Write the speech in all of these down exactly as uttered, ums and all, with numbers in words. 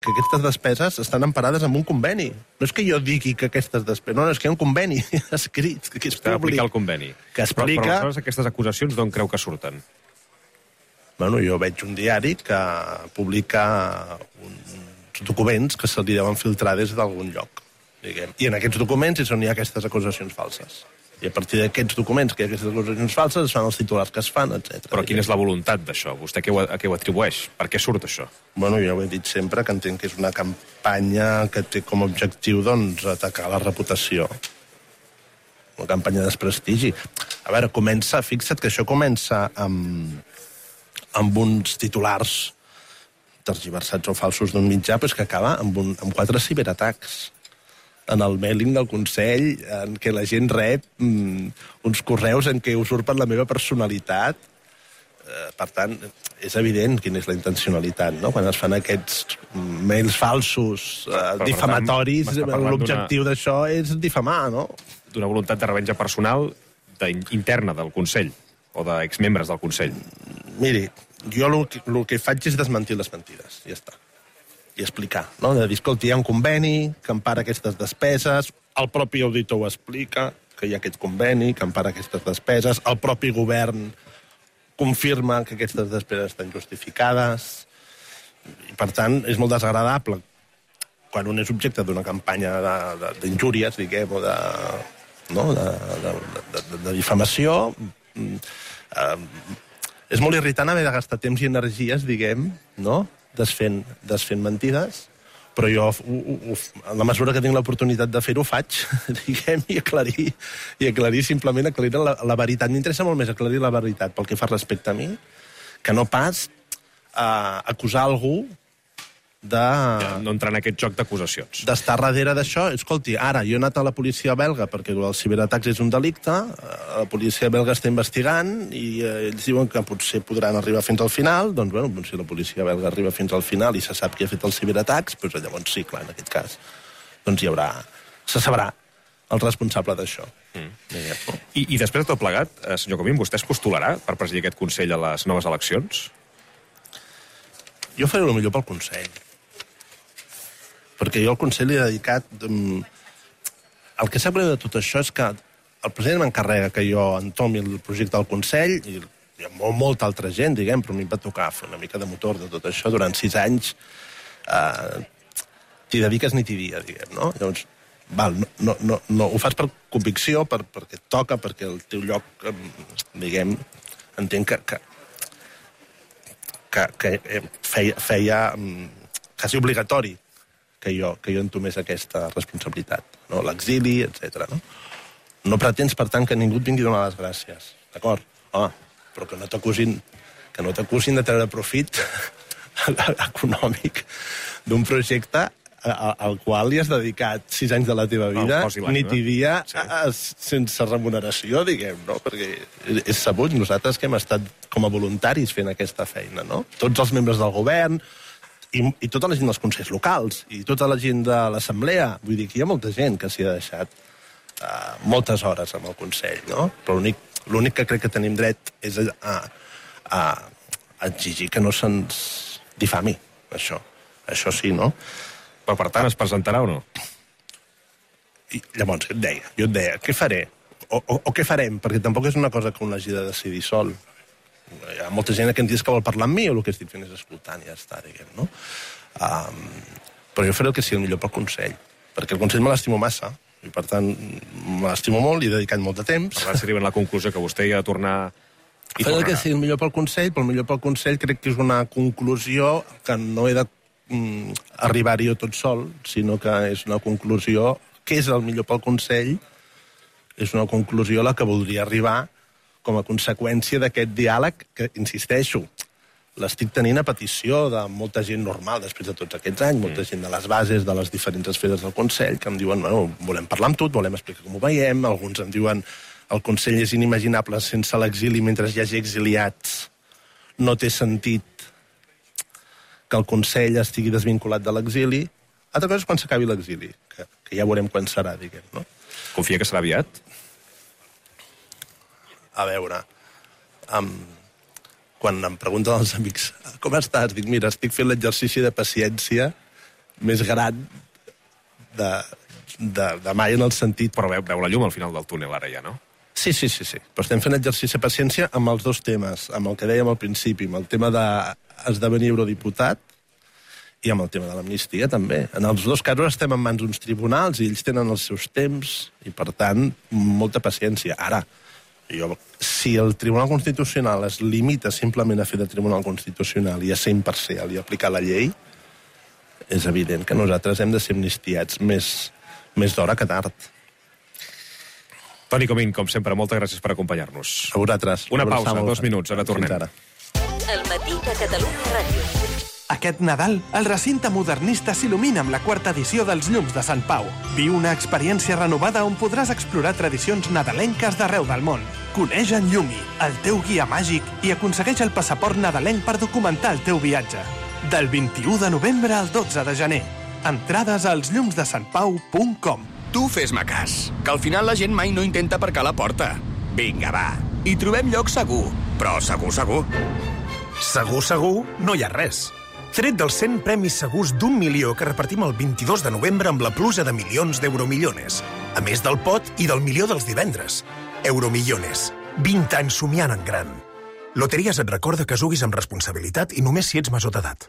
que aquestes despeses estan emparades en un conveni. No és que jo digui que aquestes despeses... No, no, és que hi ha un conveni escrit, que és Està públic. aplicar el conveni. Que explica... Però, però aleshores aquestes acusacions d'on creu que surten? Bueno, jo veig un diari que publica uns documents que se li deuen filtrar des d'algun lloc, diguem. I en aquests documents és on hi ha aquestes acusacions falses. I a partir d'aquests documents, que hi ha aquestes acusacions falses, es fan els titulars que es fan, etcètera. Però quina és la voluntat d'això? Vostè què ho, a què ho atribueix? Per què surt això? Bueno, jo ho he dit sempre, que entenc que és una campanya que té com a objectiu, doncs, atacar la reputació. Una campanya de desprestigi. A veure, comença, fixa't que això comença amb, amb uns titulars tergiversats o falsos d'un mitjà, però és que acaba amb, un, amb quatre ciberatacs en el mailing del Consell, en què la gent rep mm, uns correus en què usurpen la meva personalitat. Eh, per tant, és evident quina és la intencionalitat, no? Quan es fan aquests mails falsos, eh, difamatoris, l'objectiu d'una... d'això és difamar, no? D'una voluntat de revenja personal de, interna del Consell, o d'exmembres del Consell. Miri, jo el que, el que faig és desmentir les mentides, ja està. I explicar, no? De dir, escolta, hi ha un conveni que empara aquestes despeses, el propi auditor ho explica, que hi ha aquest conveni que empara aquestes despeses, el propi govern confirma que aquestes despeses estan justificades, i per tant és molt desagradable quan un és objecte d'una campanya d'injúries, diguem, o de, no? de, de, de, de, de difamació. Eh, és molt irritant haver de gastar temps i energies, diguem, no? Desfent, desfent mentides, però jo, u, u, en la mesura que tinc l'oportunitat de fer-ho, faig, diguem, i aclarir, i aclarir simplement aclarir la, la veritat. M'interessa molt més aclarir la veritat pel que fa respecte a mi, que no pas uh, acusar algú de... Ja, no entrar en aquest joc d'acusacions. D'estar darrere d'això. Escolti, ara, jo he anat a la policia belga perquè el ciberatacs és un delicte, la policia belga està investigant i eh, ells diuen que potser podran arribar fins al final, doncs, bueno, si la policia belga arriba fins al final i se sap qui ha fet els ciberatacs, doncs llavors sí, clar, en aquest cas, doncs hi haurà... se sabrà el responsable d'això. Mm. I, I després de tot plegat, eh, senyor Comín, vostè es postularà per presidir aquest Consell a les noves eleccions? Jo faré el millor pel Consell. Perquè jo al Consell li he dedicat... Um, el que sap greu de tot això és que el president m'encarrega que jo entomi el projecte del Consell, i hi ha molt, molta altra gent, diguem, però a mi em va tocar fer una mica de motor de tot això durant sis anys. Uh, t'hi dediques ni t'hi dia, diguem, no? Llavors, val, no, no, no, no, ho fas per convicció, per, perquè et toca, perquè el teu lloc, um, diguem, entenc que, que, que, que feia, feia um, quasi obligatori que jo, que jo entomés aquesta responsabilitat, no? L'exili, etcètera. No? No pretens, per tant, que ningú et vingui a donar les gràcies, d'acord? Home, però que no t'acusin que no t'acusin de treure profit econòmic d'un projecte al qual li has dedicat sis anys de la teva vida, nit i dia, sí. sense remuneració, diguem, no? Perquè és sabut, nosaltres que hem estat com a voluntaris fent aquesta feina, no? Tots els membres del govern, I, i tota la gent dels consells locals, i tota la gent de l'assemblea. Vull dir que hi ha molta gent que s'hi ha deixat uh, moltes hores amb el Consell, no? Però l'únic que crec que tenim dret és a, a, a exigir que no se'ns difami, això. Això sí, no? Però, per tant, es presentarà o no? I llavors, et deia, jo et deia, què faré? O, o, o què farem? Perquè tampoc és una cosa que un hagi de decidir sol. Hi ha molta gent que em dius que vol parlar amb mi, o el que estic fent és escoltant i ja està, diguem, no? Um, però jo faré el que sigui el millor pel Consell, perquè el Consell me l'estimo massa, i per tant me l'estimo molt, i he dedicat molt de temps. Per tant, s'arriba a la conclusió que vostè hi ha de tornar... I faré el que sigui el millor pel Consell, però el millor pel Consell crec que és una conclusió que no he de mm, arribar-hi jo tot sol, sinó que és una conclusió que és el millor pel Consell, és una conclusió a la que voldria arribar com a conseqüència d'aquest diàleg que, insisteixo, l'estic tenint a petició de molta gent normal després de tots aquests anys, molta gent de les bases de les diferents esferes del Consell, que em diuen, bueno, volem parlar amb tu, volem explicar com ho veiem, alguns em diuen el Consell és inimaginable sense l'exili mentre hi hagi exiliats, no té sentit que el Consell estigui desvinculat de l'exili. Altra cosa és quan s'acabi l'exili, que, que ja veurem quan serà, diguem, no? Confia que serà aviat? A veure, um, quan em pregunten els amics com estàs, dic, mira, estic fent l'exercici de paciència més gran de, de, de mai en el sentit... Però veu, veu la llum al final del túnel ara ja, no? Sí, sí, sí, sí. Però estem fent exercici de paciència amb els dos temes, amb el que dèiem al principi, amb el tema d'esdevenir eurodiputat i amb el tema de l'amnistia, també. En els dos casos estem en mans d'uns tribunals i ells tenen els seus temps i, per tant, molta paciència. Ara, jo, si el Tribunal Constitucional es limita simplement a fer de Tribunal Constitucional i a ser imparcial i aplicar la llei, és evident que nosaltres hem de ser amnistiats més, més d'hora que tard. Toni Comín, com sempre, moltes gràcies per acompanyar-nos. A vosaltres. Una pausa, dos minuts, ara tornem. El matí de Catalunya Ràdio. Aquest Nadal, el recinte modernista s'il·lumina amb la quarta edició dels Llums de Sant Pau. Viu una experiència renovada on podràs explorar tradicions nadalenques d'arreu del món. Coneix en Llumi, el teu guia màgic, i aconsegueix el passaport nadalenc per documentar el teu viatge. Del vint-i-u de novembre al dotze de gener. Entrades als llums de sant pau punt com. Tu fes-me cas, que al final la gent mai no intenta aparcar la porta. Vinga, va, hi trobem lloc segur, però segur, segur. Segur, segur, no hi ha res. Tret dels cent premis segurs d'un milió que repartim el vint-i-dos de novembre amb la pluja de milions d'Euromillones. A més del pot i del milió dels divendres. Euromillones. vint anys somiant en gran. Loteries et recorda que juguis amb responsabilitat i només si ets major d'edat.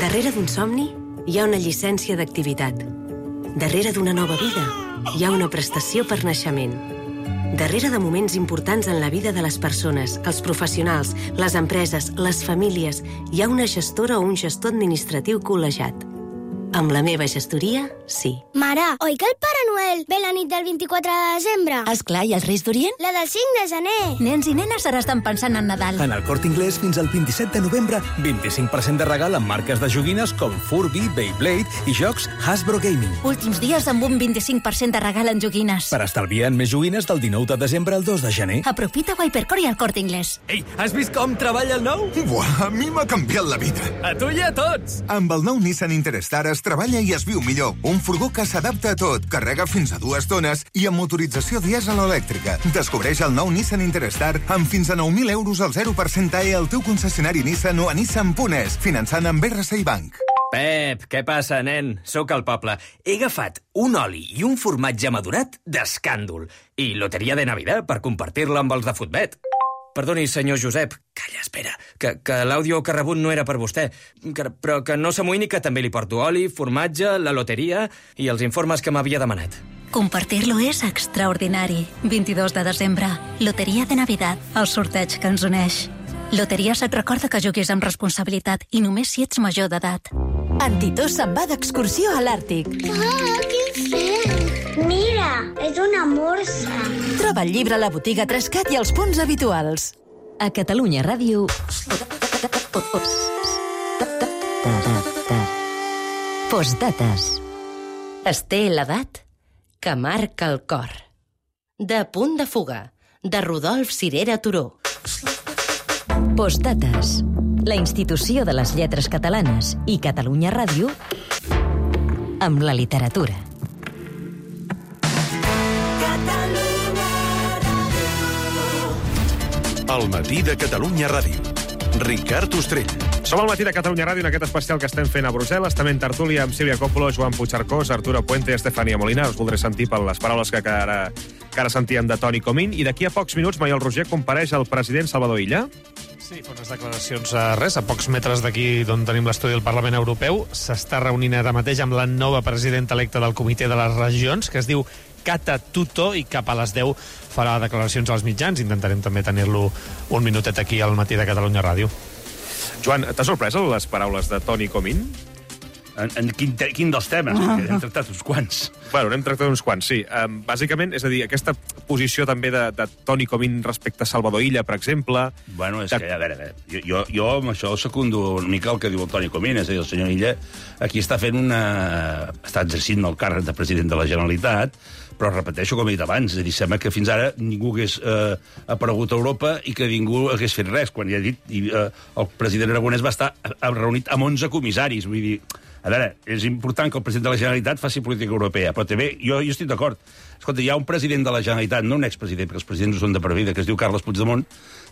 Darrere d'un somni hi ha una llicència d'activitat. Darrere d'una nova vida hi ha una prestació per naixement. Darrere de moments importants en la vida de les persones, els professionals, les empreses, les famílies, hi ha una gestora o un gestor administratiu col·legiat. Amb la meva gestoria, sí. Mare, oi que el Pare Noel ve la nit del vint-i-quatre de desembre? Esclar, i els Reis d'Orient? La del cinc de gener. Nens i nenes ara estan pensant en Nadal. En el Corte Inglés, fins al vint-i-set de novembre, vint-i-cinc per cent de regal amb marques de joguines com Furby, Beyblade i jocs Hasbro Gaming. Últims dies amb un vint-i-cinc per cent de regal en joguines. Per estalviar en més joguines del dinou de desembre al dos de gener. Aprofita a Hypercore i al Corte Inglés. Ei, has vist com treballa el nou? Buah, a mi m'ha canviat la vida. A tu i a tots. Amb el nou Nissan Interstar es treballa i es viu millor. Un furgó que s'adapta a tot, carrega fins a dues tones i amb motorització dièsel o elèctrica. Descobreix el nou Nissan Interstar amb fins a nou mil euros al zero per cent A E al teu concessionari Nissan o a nissan punt es, finançant amb R C I Bank. Pep, què passa, nen? Sóc al poble. He agafat un oli i un formatge madurat d'escàndol i loteria de Navidad per compartir-la amb els de Futbet. Perdoni, senyor Josep. Calla, espera, que, que l'àudio que ha rebut no era per vostè, que, però que no s'amoïni que també li porto oli, formatge, la loteria i els informes que m'havia demanat. Compartir-lo és extraordinari. vint-i-dos de desembre, loteria de Navidad, el sorteig que ens uneix. Loteries et recorda que juguis amb responsabilitat i només si ets major d'edat. Antitós se'n va d'excursió a l'Àrtic. Ah, quin fred! Mira, és una morsa. Troba el llibre a la botiga Trascat i els punts habituals. A Catalunya Ràdio... Postdates. Es té l'edat que marca el cor. De Punt de fuga, de Rodolf Cirera Turó. Postdates. La institució de les lletres catalanes i Catalunya Ràdio amb la literatura. El matí de Catalunya Ràdio. Ricard Ostrell. Som al matí de Catalunya Ràdio en aquest especial que estem fent a Brussel·les. També en tertúlia amb Sílvia Coppolo, Joan Puigcercós, Arturo Puente i Estefania Molina. Us voldré sentir per les paraules que ara, que ara sentíem de Toni Comín. I d'aquí a pocs minuts, Maiol Roger compareix el president Salvador Illa. Sí, fa unes declaracions a res, a pocs metres d'aquí d'on tenim l'estudi del Parlament Europeu. S'està reunint ara mateix amb la nova presidenta electa del Comitè de les Regions, que es diu Kata Tuto, i cap a les deu farà declaracions als mitjans. Intentarem també tenir-lo un minutet aquí al matí de Catalunya Ràdio. Joan, t'ha sorprès les paraules de Toni Comín? En, en quin, te, quin dels temes? Ah. Hem tractat uns quants. Bueno, n'hem tractat uns quants, sí. Um, bàsicament, és a dir, aquesta posició també de, de Toni Comín respecte a Salvador Illa, per exemple... Bueno, és de... que, a veure, a veure, jo, jo, jo amb això secundo una mica el que diu el Toni Comín, és a dir, el senyor Illa aquí està fent una... està exercint el càrrec de president de la Generalitat, però repeteixo com he dit abans, és a dir, sembla que fins ara ningú hagués eh, aparegut a Europa i que ningú hagués fet res, quan ja he dit, i, eh, el president Aragonès va estar reunit amb onze comissaris, vull dir, A veure, és important que el president de la Generalitat faci política europea, però també jo, jo estic d'acord. Escolta, hi ha un president de la Generalitat, no un expresident, perquè els presidents no són de per vida, que es diu Carles Puigdemont,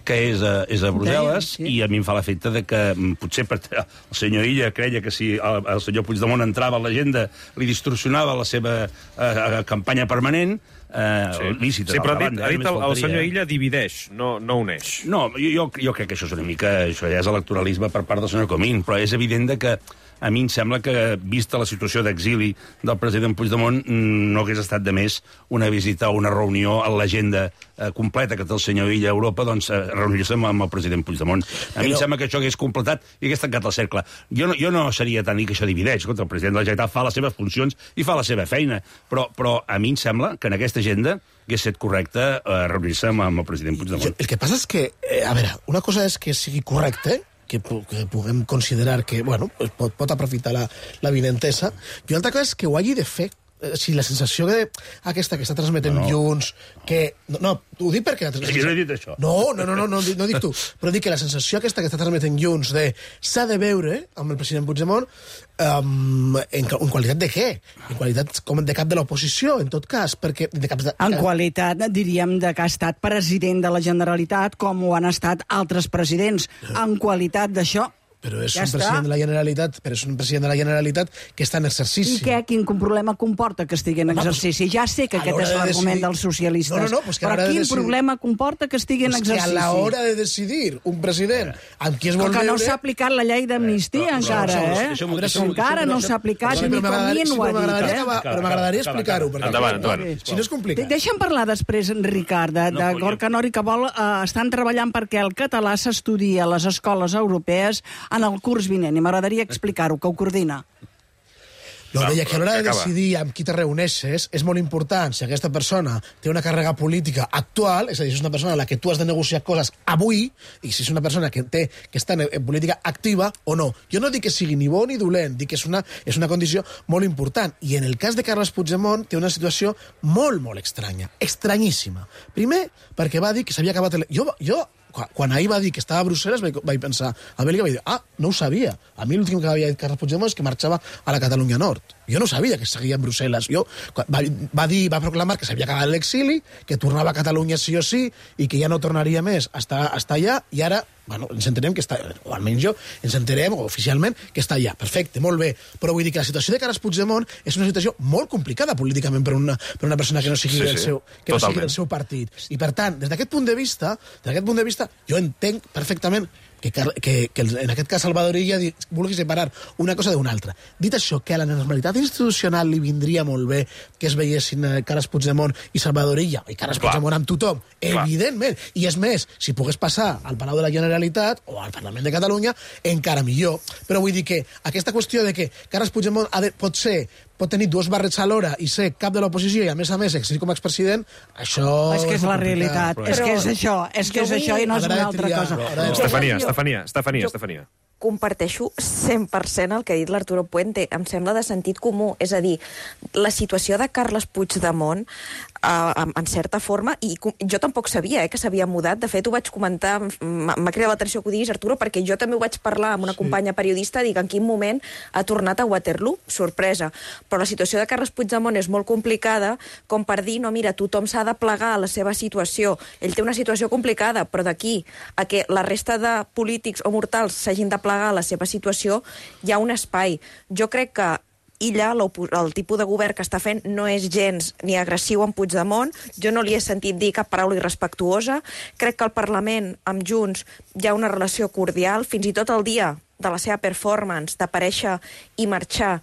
que és a, és a Brussel·les, sí. I a mi em fa l'efecte de que potser per, el senyor Illa creia que si el, el senyor Puigdemont entrava a l'agenda li distorsionava la seva eh, campanya permanent, eh, sí. lícita. Sí, però ha dit, ha dit el, el senyor Illa divideix, no, no uneix. No, jo, jo, jo crec que això és una mica... Això ja és electoralisme per part del senyor Comín, però és evident de que a mi em sembla que, vista la situació d'exili del president Puigdemont, no hagués estat de més una visita o una reunió a l'agenda eh, completa que té el senyor Illa a Europa, doncs eh, reunir-se amb, amb el president Puigdemont. A Però... mi em sembla que això hagués completat i hagués tancat el cercle. Jo no, jo no seria tan dir que això divideix. Escolta, el president de la Generalitat fa les seves funcions i fa la seva feina, però, però a mi em sembla que en aquesta agenda hagués estat correcte eh, reunir-se amb, amb el president Puigdemont. Jo, el que passa és que, eh, a veure, una cosa és que sigui correcte, que, que puguem considerar que bueno, pot, pot aprofitar la, la vinentesa, i una altra cosa és que ho hagi de fer. O sigui, la sensació que aquesta que està transmetent no, no. Junts, que... No, no, ho dic perquè... És que no he dit això. No, no, no, no, no, no dic tu. Però dic que la sensació aquesta que està transmetent Junts de s'ha de veure amb el president Puigdemont um, en, en qualitat de què? En qualitat com de cap de l'oposició, en tot cas, perquè... De cap de... En qualitat, diríem, de que ha estat president de la Generalitat com ho han estat altres presidents. En qualitat d'això... Però és ja un president de la Generalitat, però és un president de la Generalitat que està en exercici. I què? Quin problema comporta que estigui en exercici? Ja sé que aquest és l'argument dels socialistes. No, no, no, pues que però quin decidir... problema comporta que estigui pues en exercici? Que a l'hora de decidir un president amb qui es vol veure... Que no veure... s'ha aplicat la llei d'amnistia encara, eh? Encara no s'ha aplicat, ni Comín ho ha dit, eh? Però m'agradaria explicar-ho. Endavant, endavant. Si no és complicat. Deixa'm parlar després, Ricard, de Gorka Nori, que vol... Estan treballant perquè el català s'estudia a les escoles europees en el curs vinent. I m'agradaria explicar-ho, que ho coordina. No, deia que a l'hora de decidir amb qui te reuneixes és molt important si aquesta persona té una càrrega política actual, és a dir, si és una persona a la que tu has de negociar coses avui, i si és una persona que té que està en, en política activa o no. Jo no dic que sigui ni bo ni dolent, dic que és una, és una condició molt important. I en el cas de Carles Puigdemont té una situació molt, molt estranya, estranyíssima. Primer, perquè va dir que s'havia acabat... El... Jo, jo quan ahir va dir que estava a Brussel·les vaig, vaig pensar, a Bèlgica vaig dir, ah, no ho sabia. A mi l'últim que havia dit Carles Puigdemont és que marxava a la Catalunya Nord. Jo no sabia que seguia en Brussel·les. Jo, va, va dir, va proclamar que s'havia acabat l'exili, que tornava a Catalunya sí o sí, i que ja no tornaria més a estar, a estar allà, i ara, bueno, ens entenem que està, o almenys jo, ens entenem oficialment que està allà. Perfecte, molt bé. Però vull dir que la situació de Carles Puigdemont és una situació molt complicada políticament per una, per una persona que no sigui, sí, del, seu, que no sigui del seu partit. I per tant, des d'aquest punt de vista, des d'aquest punt de vista, jo entenc perfectament que, que, que en aquest cas Salvador Illa vulgui separar una cosa d'una altra. Dit això, que a la normalitat institucional li vindria molt bé que es veiessin Carles Puigdemont i Salvador Illa, i Carles Clar. Puigdemont amb tothom, Clar. Evidentment. I és més, si pogués passar al Palau de la Generalitat o al Parlament de Catalunya, encara millor. Però vull dir que aquesta qüestió de que Carles Puigdemont ha de, pot ser pot tenir dues barrets alhora i ser cap de l'oposició i, a més a més, exercir com a expresident, això... És que és la realitat. És que és això, és que és això i no és una altra cosa. Estefania, Estefania, Estefania, Estefania. Comparteixo cent per cent el que ha dit l'Arturo Puente. Em sembla de sentit comú. És a dir, la situació de Carles Puigdemont, eh, en certa forma, i jo tampoc sabia eh, que s'havia mudat. De fet, ho vaig comentar, m'ha cridat l'atenció que ho diguis, Arturo, perquè jo també ho vaig parlar amb una companya periodista, dic en quin moment ha tornat a Waterloo. Sorpresa. Però la situació de Carles Puigdemont és molt complicada, com per dir, no, mira, tothom s'ha de plegar a la seva situació. Ell té una situació complicada, però d'aquí a que la resta de polítics o mortals s'hagin de plegar a la seva situació, hi ha un espai. Jo crec que Illa, el tipus de govern que està fent, no és gens ni agressiu amb Puigdemont. Jo no li he sentit dir cap paraula irrespectuosa. Crec que al Parlament, amb Junts, hi ha una relació cordial. Fins i tot el dia de la seva performance, d'aparèixer i marxar,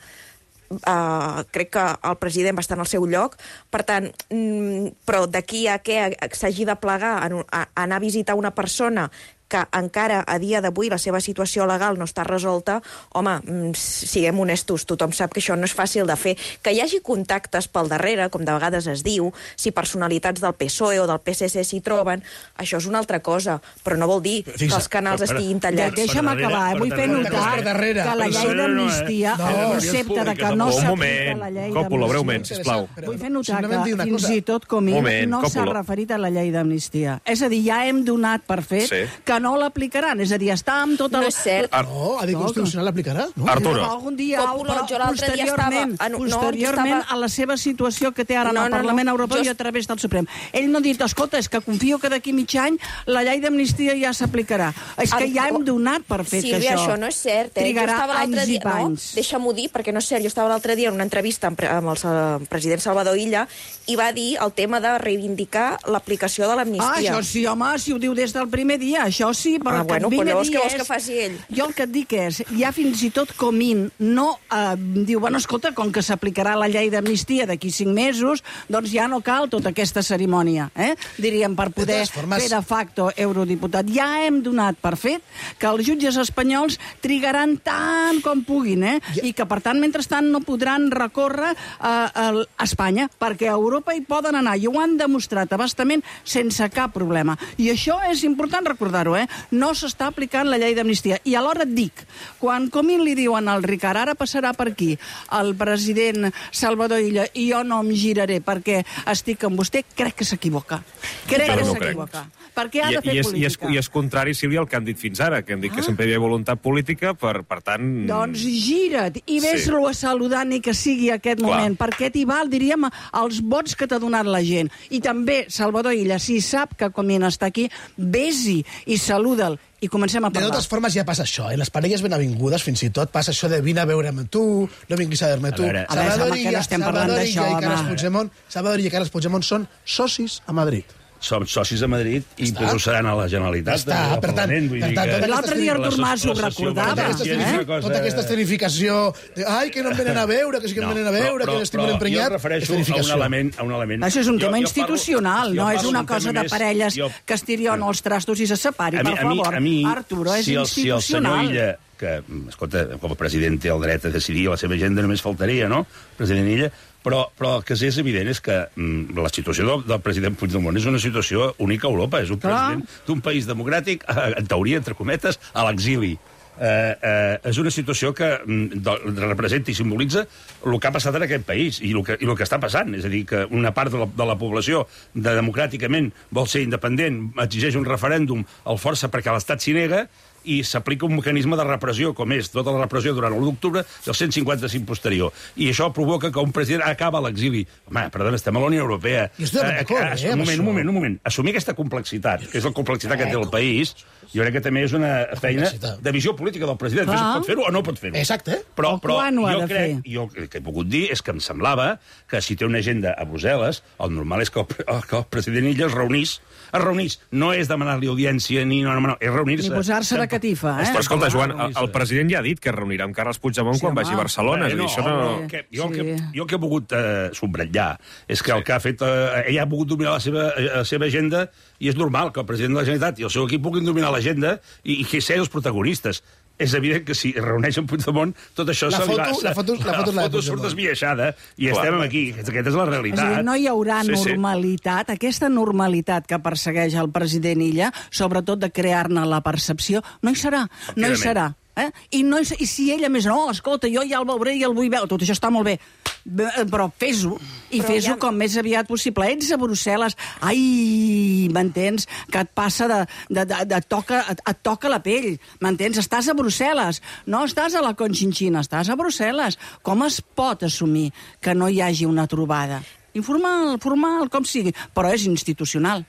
Uh, crec que el president va estar en el seu lloc. Per tant, mm, però d'aquí a què s'hagi de plegar a, a, a anar a visitar una persona que encara a dia d'avui la seva situació legal no està resolta, home, siguem honestos, tothom sap que això no és fàcil de fer. Que hi hagi contactes pel darrere, com de vegades es diu, si personalitats del P S O E o del P S C s'hi troben, això és una altra cosa, però no vol dir que els canals estiguin tallats. Deixa'm acabar, eh? Vull fer notar que la llei d'amnistia, el concepte de que no s'aplica la llei d'amnistia... Còpula, breument, sisplau. Vull fer notar que fins i tot Comín no s'ha referit a la llei d'amnistia. És a dir, ja hem donat per fet que no l'aplicaran. És a dir, està amb tot el... No és cert. No, ha dit Constitucional l'aplicarà. No? Arturo. Algun dia, Còpolo, jo l'altre dia posteriorment, estava- ah, no, posteriorment jo estava- a la seva situació que té ara No, en el no, no. Parlament Europeu Jo- i a través del Suprem. Ell no ha dit, escolta, és que confio que d'aquí mig any la llei d'amnistia ja s'aplicarà. És que ja hem donat per fet que Sílvia, això... això no és cert. Eh? trigarà jo estava l'altre anys i dia, no, panys. deixa-m'ho dir, perquè no és cert. Jo estava l'altre dia en una entrevista amb, amb el sa- president Salvador Illa i va dir el tema de reivindicar l'aplicació de Ah, l'amnistia. això sí, home, si ho diu des del primer dia, això sí, però Ah, el que bueno, et vinc però a llavors dir què vols és... que faci ell? Jo el que et dic és, ja fins i tot Comín no eh, diu, bueno, escolta, com que s'aplicarà la llei d'amnistia d'aquí cinc mesos, doncs ja no cal tota aquesta cerimònia, eh? diríem, per poder totes formes- fer de facto eurodiputat. Ja hem donat per fet que els jutges espanyols trigaran tant com puguin, eh? I que, per tant, mentrestant no podran recórrer a, a Espanya, perquè a Europa hi poden anar, i ho han demostrat abastament sense cap problema. I això és important recordar-ho, eh? No s'està aplicant la llei d'amnistia. I alhora et dic, quan Comín li diuen al Ricard, ara passarà per aquí el president Salvador Illa, i jo no em giraré perquè estic amb vostè, crec que s'equivoca. Crec Jo que no crec. s'equivoca. Perquè ha I, de fer i, és, i, és, política. I és contrari, Sílvia, al que han dit fins ara, que han dit ah. que sempre hi havia voluntat política, per, per tant... Doncs gira't i ves-lo a saludar ni que sigui aquest Clar. moment, perquè t'hi val, diríem, els vots que t'ha donat la gent. I també, Salvador Illa, si sap que Comín està aquí, ves-hi i saluda'l i comencem a De parlar. totes formes ja passa això, eh? Les parelles ben avingudes fins i tot passa això de vine a veure'm tu, no vinguis a veure-me tu. A veure. A veure, home, que no estem parlant Salvador d'això, Illa i Carles home. Puigdemont, Salvador Illa i Carles Puigdemont són socis a Madrid. Som socis a Madrid i Està. però ho seran a la Generalitat. Està, al per tant, Parlament, vull per dir tant, que- tota L'altre dia Artur Mas ho La sessió recordava, Tota aquesta, valenciana és eh? una cosa- tota aquesta escenificació de, ai, que no em venen a veure, que sí que em venen a veure, que l'estic molt emprenyat, jo em refereixo és a un escenificació. element, a un element. Això és un Jo- tema jo institucional, parlo- no jo és parlo una d'un cosa tema de més- parelles jo- que es tirion els trastos i se separin, A mi- per a mi- favor. a mi, Arturo, és si el, si el senyor institucional. Illa, que, escolta, com a president té el dret a decidir la seva agenda, només faltaria, no?, president Illa, però, però el que és evident és que mm, la situació del, del president Puigdemont és una situació única a Europa. És un Clar. president d'un país democràtic, eh, en teoria, entre cometes, a l'exili. Eh, eh, és una situació que mm, de, representa i simbolitza el que ha passat en aquest país i el que, i el que està passant. És a dir, que una part de la, de la població de, democràticament vol ser independent, exigeix un referèndum, el força perquè l'Estat s'hi nega, i s'aplica un mecanisme de repressió, com és tota la repressió durant l'u d'octubre del cent cinquanta-cinc posterior. I això provoca que un president acaba a l'exili. Home, perdona, estem a la Unió Europea. Jo estic d'acord, eh, un amb moment, això. un moment, un moment. Assumir aquesta complexitat, que és la complexitat que té el país, jo crec que també és una feina de visió política del president. Clar. Clar. Pot fer-ho o no pot fer-ho. Exacte. eh? Però, O però quan ho ha jo de crec, fer? jo el que he pogut dir és que em semblava que si té una agenda a Brussel·les, el normal és que el, pre- que el president Illa es reunís. Es reunís. No és demanar-li audiència ni no, no, no, és reunir-se. Ni posar-se de catifa, eh? Però escolta, Joan, el, el president ja ha dit que es reunirà amb Carles Puigdemont Sí, quan home. vagi a Barcelona. Bé, és a dir, això no... que, jo, el Sí. que, jo el que he volgut eh, subratllar és que el que ha fet... Eh, ell ha pogut dominar la seva, eh, la seva agenda i és normal que el president de la Generalitat i el seu equip puguin dominar l'agenda i, i que ser els protagonistes. És evident que si es reuneix amb Puigdemont, tot això La se li va... foto- la foto- la foto és la de foto surt Puigdemont. esbiaixada i Clar. estem aquí. Aquesta és la És a realitat. dir, no hi haurà Sí, sí. normalitat, aquesta normalitat que persegueix el president Illa, sobretot de crear-ne la percepció, no hi serà, no hi Efectivament. serà. Eh? I, no, hi- I si ell, a més, no, escolta, jo ja el veuré i el vull veure, tot això està molt bé, Bé, però fes-ho, i Però fes-ho ja- com més aviat possible. Ets a Brussel·les, ai, m'entens, que et passa de... de, de, de toca, et, et toca la pell, m'entens? Estàs a Brussel·les, no estàs a la Conchinchina, estàs a Brussel·les. Com es pot assumir que no hi hagi una trobada? Informal, formal, com sigui, però és institucional.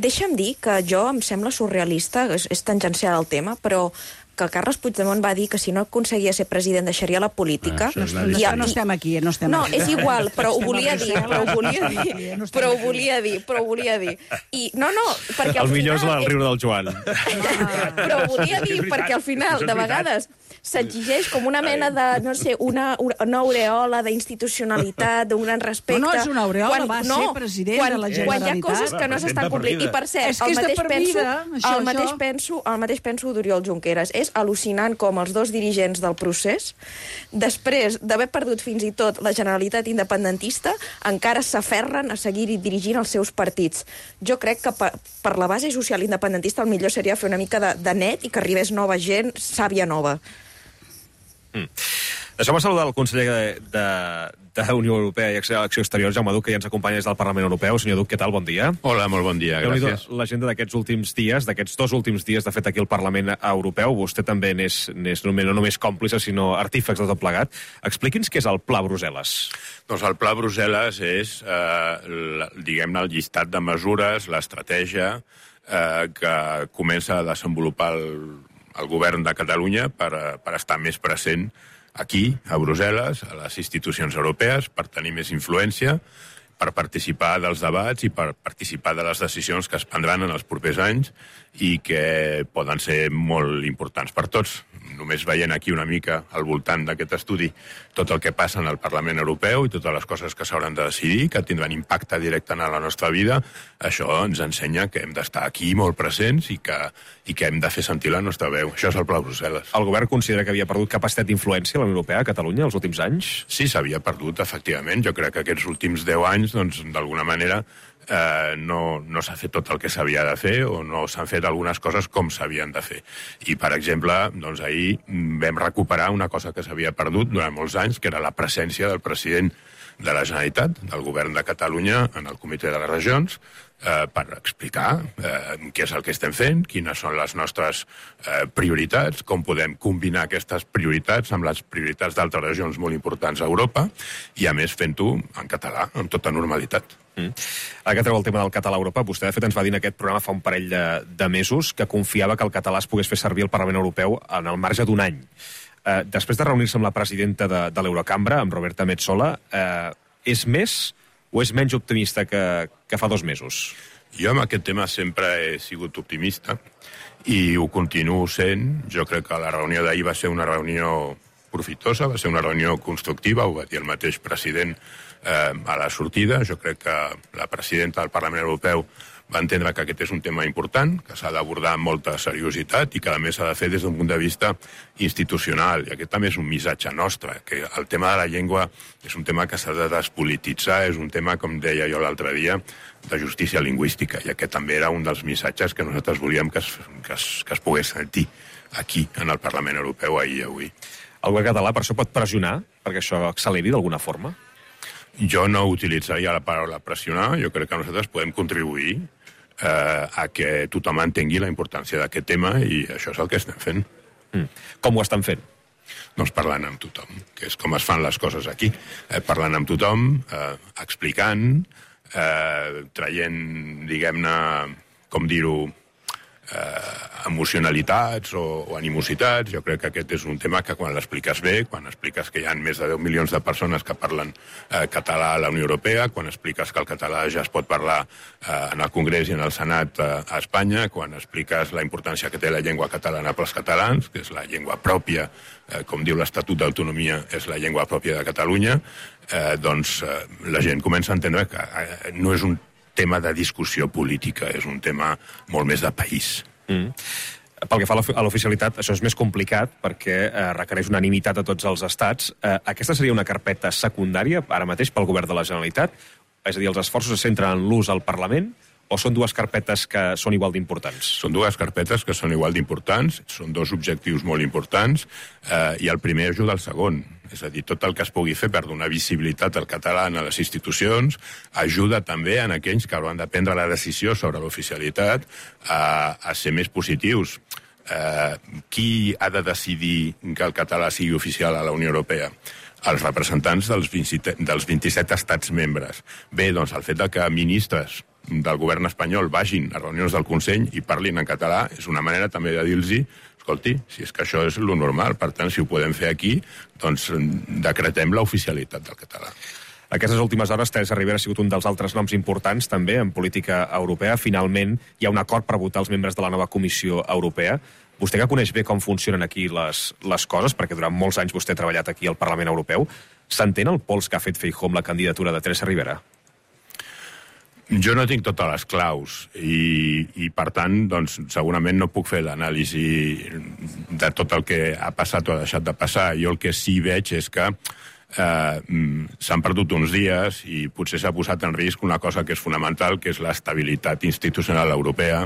Deixa'm dir que jo em sembla surrealista, és, és tangencial el tema, però que Carles Puigdemont va dir que si no aconseguia ser president deixaria la política. Ah, això és No, I- no estem aquí, no estem No, aquí. és igual, però ho Estem a volia dir, Brussel·les. però ho volia dir, No estem però ho aquí. volia dir, però ho volia dir. I, no, no, perquè al El millor és final... el riure del Joan. Però ho volia dir, perquè al final, de vegades, s'exigeix com una mena de, no sé, una, una aureola d'institucionalitat, d'un gran respecte. No, no és una aureola, va ser president quan, de la Quan hi ha Generalitat. coses que no s'estan complint. I per cert, És que el és de mateix, per penso, vida, això, el, mateix això. penso, el mateix penso d'Oriol Junqueras. És al·lucinant com els dos dirigents del procés, després d'haver perdut fins i tot la Generalitat independentista, encara s'aferren a seguir dirigint els seus partits. Jo crec que per, per la base social independentista el millor seria fer una mica de, de net i que arribés nova gent, sàvia nova. Mm. Deixeu-me saludar el conseller de, de, de Unió Europea i Acció Exterior, Jaume Duch, que ja ens acompanya des del Parlament Europeu. Senyor Duch, què tal? Bon dia. Hola, molt bon dia, gràcies. L'agenda d'aquests últims dies, d'aquests dos últims dies, de fet, aquí al Parlament Europeu, vostè també n'és no només còmplice, sinó artífex de tot plegat. Expliqui'ns què és el Pla Brussel·les. Doncs el Pla Brussel·les és, eh, diguem-ne, el llistat de mesures, l'estratègia eh, que comença a desenvolupar el, el govern de Catalunya per, per estar més present aquí, a Brussel·les, a les institucions europees, per tenir més influència, per participar dels debats i per participar de les decisions que es prendran en els propers anys i que poden ser molt importants per tots. Només veient aquí una mica al voltant d'aquest estudi tot el que passa en el Parlament Europeu i totes les coses que s'hauran de decidir, que tindran impacte directe en la nostra vida, això ens ensenya que hem d'estar aquí molt presents i que, i que hem de fer sentir la nostra veu. Això és el Pla Brussel·les. El govern considera que havia perdut capacitat d'influència a la Unió Europea a Catalunya els últims anys? Sí, s'havia perdut, efectivament. Jo crec que aquests últims deu anys, doncs, d'alguna manera, Eh, no, no s'ha fet tot el que s'havia de fer o no s'han fet algunes coses com s'havien de fer. I, per exemple, doncs ahir vam recuperar una cosa que s'havia perdut durant molts anys, que era la presència del president de la Generalitat, del govern de Catalunya, en el Comitè de les Regions, eh, per explicar eh, què és el que estem fent, quines són les nostres eh, prioritats, com podem combinar aquestes prioritats amb les prioritats d'altres regions molt importants a Europa, i a més fent-ho en català, amb tota normalitat. Mm. Ara que treu el tema del català a Europa, vostè de fet ens va dir en aquest programa fa un parell de, de mesos que confiava que el català es pogués fer servir al Parlament Europeu en el marge d'un any. Eh, després de reunir-se amb la presidenta de, de l'Eurocambra, amb Roberta Metsola, eh, és més o és menys optimista que, que fa dos mesos? Jo amb aquest tema sempre he sigut optimista i ho continuo sent. Jo crec que la reunió d'ahir va ser una reunió profitosa, va ser una reunió constructiva, ho va dir el mateix president eh, a la sortida. Jo crec que la presidenta del Parlament Europeu va entendre que aquest és un tema important, que s'ha d'abordar amb molta seriositat i que a més s'ha de fer des d'un punt de vista institucional. I aquest també és un missatge nostre, que el tema de la llengua és un tema que s'ha de despolititzar, és un tema, com deia jo l'altre dia, de justícia lingüística, i aquest també era un dels missatges que nosaltres volíem que es, que es, que es pogués sentir aquí, en el Parlament Europeu, ahir i avui. El govern català per això pot pressionar perquè això acceleri d'alguna forma? Jo no utilitzaria la paraula pressionar. Jo crec que nosaltres podem contribuir eh, a que tothom entengui la importància d'aquest tema i això és el que estem fent. Mm. Com ho estan fent? Doncs parlant amb tothom, que és com es fan les coses aquí. Eh, parlant amb tothom, eh, explicant, eh, traient, diguem-ne, com dir-ho, Eh, emocionalitats o, o animositats. Jo crec que aquest és un tema que quan l'expliques bé, quan expliques que hi ha més de deu milions de persones que parlen eh, català a la Unió Europea, quan expliques que el català ja es pot parlar eh, en el Congrés i en el Senat eh, a Espanya, quan expliques la importància que té la llengua catalana pels catalans, que és la llengua pròpia, eh, com diu l'Estatut d'Autonomia, és la llengua pròpia de Catalunya, eh, doncs eh, la gent comença a entendre que eh, no és un tema de discussió política, és un tema molt més de país. Mm. Pel que fa a l'oficialitat, això és més complicat perquè eh, requereix unanimitat a tots els estats. Eh, aquesta seria una carpeta secundària, ara mateix, pel govern de la Generalitat? És a dir, els esforços es centren en l'ús al Parlament o són dues carpetes que són igual d'importants? Són dues carpetes que són igual d'importants, són dos objectius molt importants, eh, i el primer ajuda al segon. És a dir, tot el que es pugui fer per donar visibilitat al català a les institucions ajuda també en aquells que hauran de prendre la decisió sobre l'oficialitat a, a ser més positius. Eh, qui ha de decidir que el català sigui oficial a la Unió Europea? Els representants dels, vint, dels vint-i-set estats membres. Bé, doncs el fet de que ministres del govern espanyol vagin a reunions del Consell i parlin en català és una manera també de dir-los, escolti, si és que això és lo normal, per tant, si ho podem fer aquí, doncs decretem l'oficialitat del català. Aquestes últimes hores, Teresa Ribera ha sigut un dels altres noms importants, també, en política europea. Finalment, hi ha un acord per votar els membres de la nova Comissió Europea. Vostè que coneix bé com funcionen aquí les, les coses, perquè durant molts anys vostè ha treballat aquí al Parlament Europeu, s'entén el pols que ha fet Feijóo amb la candidatura de Teresa Ribera? Jo no tinc totes les claus i, i per tant, doncs, segurament no puc fer l'anàlisi de tot el que ha passat o ha deixat de passar. Jo el que sí veig és que eh, s'han perdut uns dies i potser s'ha posat en risc una cosa que és fonamental, que és l'estabilitat institucional europea,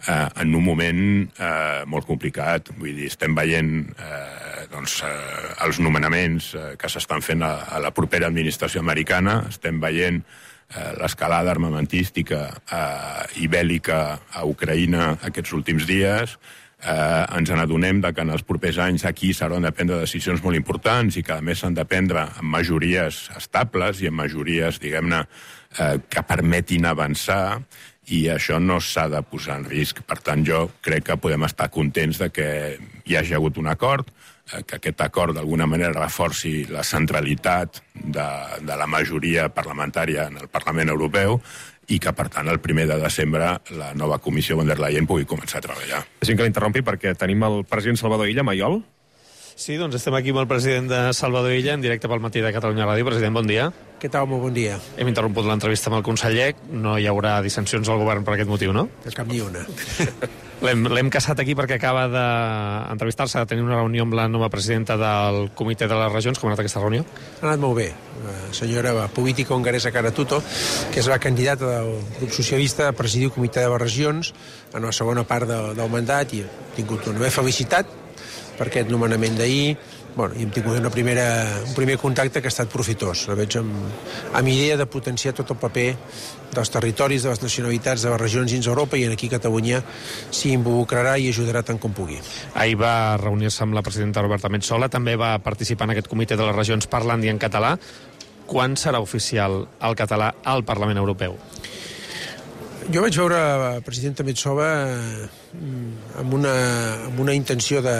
eh, en un moment eh, molt complicat. Vull dir, estem veient eh, doncs, eh, els nomenaments eh, que s'estan fent a, a la propera administració americana, estem veient eh, l'escalada armamentística eh, i bèl·lica a Ucraïna aquests últims dies. Eh, ens n'adonem que en els propers anys aquí s'hauran de prendre decisions molt importants i que a més s'han de prendre amb majories estables i amb majories, diguem-ne, eh, que permetin avançar, i això no s'ha de posar en risc. Per tant, jo crec que podem estar contents de que hi hagi hagut un acord, eh, que aquest acord d'alguna manera reforci la centralitat de, de la majoria parlamentària en el Parlament Europeu, i que, per tant, el primer de desembre la nova comissió von der Leyen pugui començar a treballar. Deixi'm que l'interrompi perquè tenim el president Salvador Illa, Maiol. Sí, doncs estem aquí amb el president de Salvador Illa, en directe pel matí de Catalunya Ràdio. President, bon dia. Què tal? Molt bon dia. Hem interromput l'entrevista amb el conseller. No hi haurà dissensions al govern per aquest motiu, no? De cap ni una. L'hem caçat aquí perquè acaba d'entrevistar-se, de tenir una reunió amb la nova presidenta del Comitè de les Regions. Com ha anat aquesta reunió? Ha anat molt bé. La senyora política hongaresa Kara Tutto, que és la candidata del grup socialista a presidir el Comitè de les Regions en la segona part de, del mandat, i ha tingut una bé felicitat per aquest nomenament d'ahir. Bueno, i hem tingut una primera, un primer contacte que ha estat profitós. La veig amb, amb idea de potenciar tot el paper dels territoris, de les nacionalitats, de les regions dins Europa, i aquí Catalunya s'hi involucrarà i ajudarà tant com pugui. Ahir va reunir-se amb la presidenta Roberta Metsola, també va participar en aquest comitè de les regions parlant i en català. Quan serà oficial el català al Parlament Europeu? Jo vaig veure la presidenta Metsola amb una, amb una intenció de,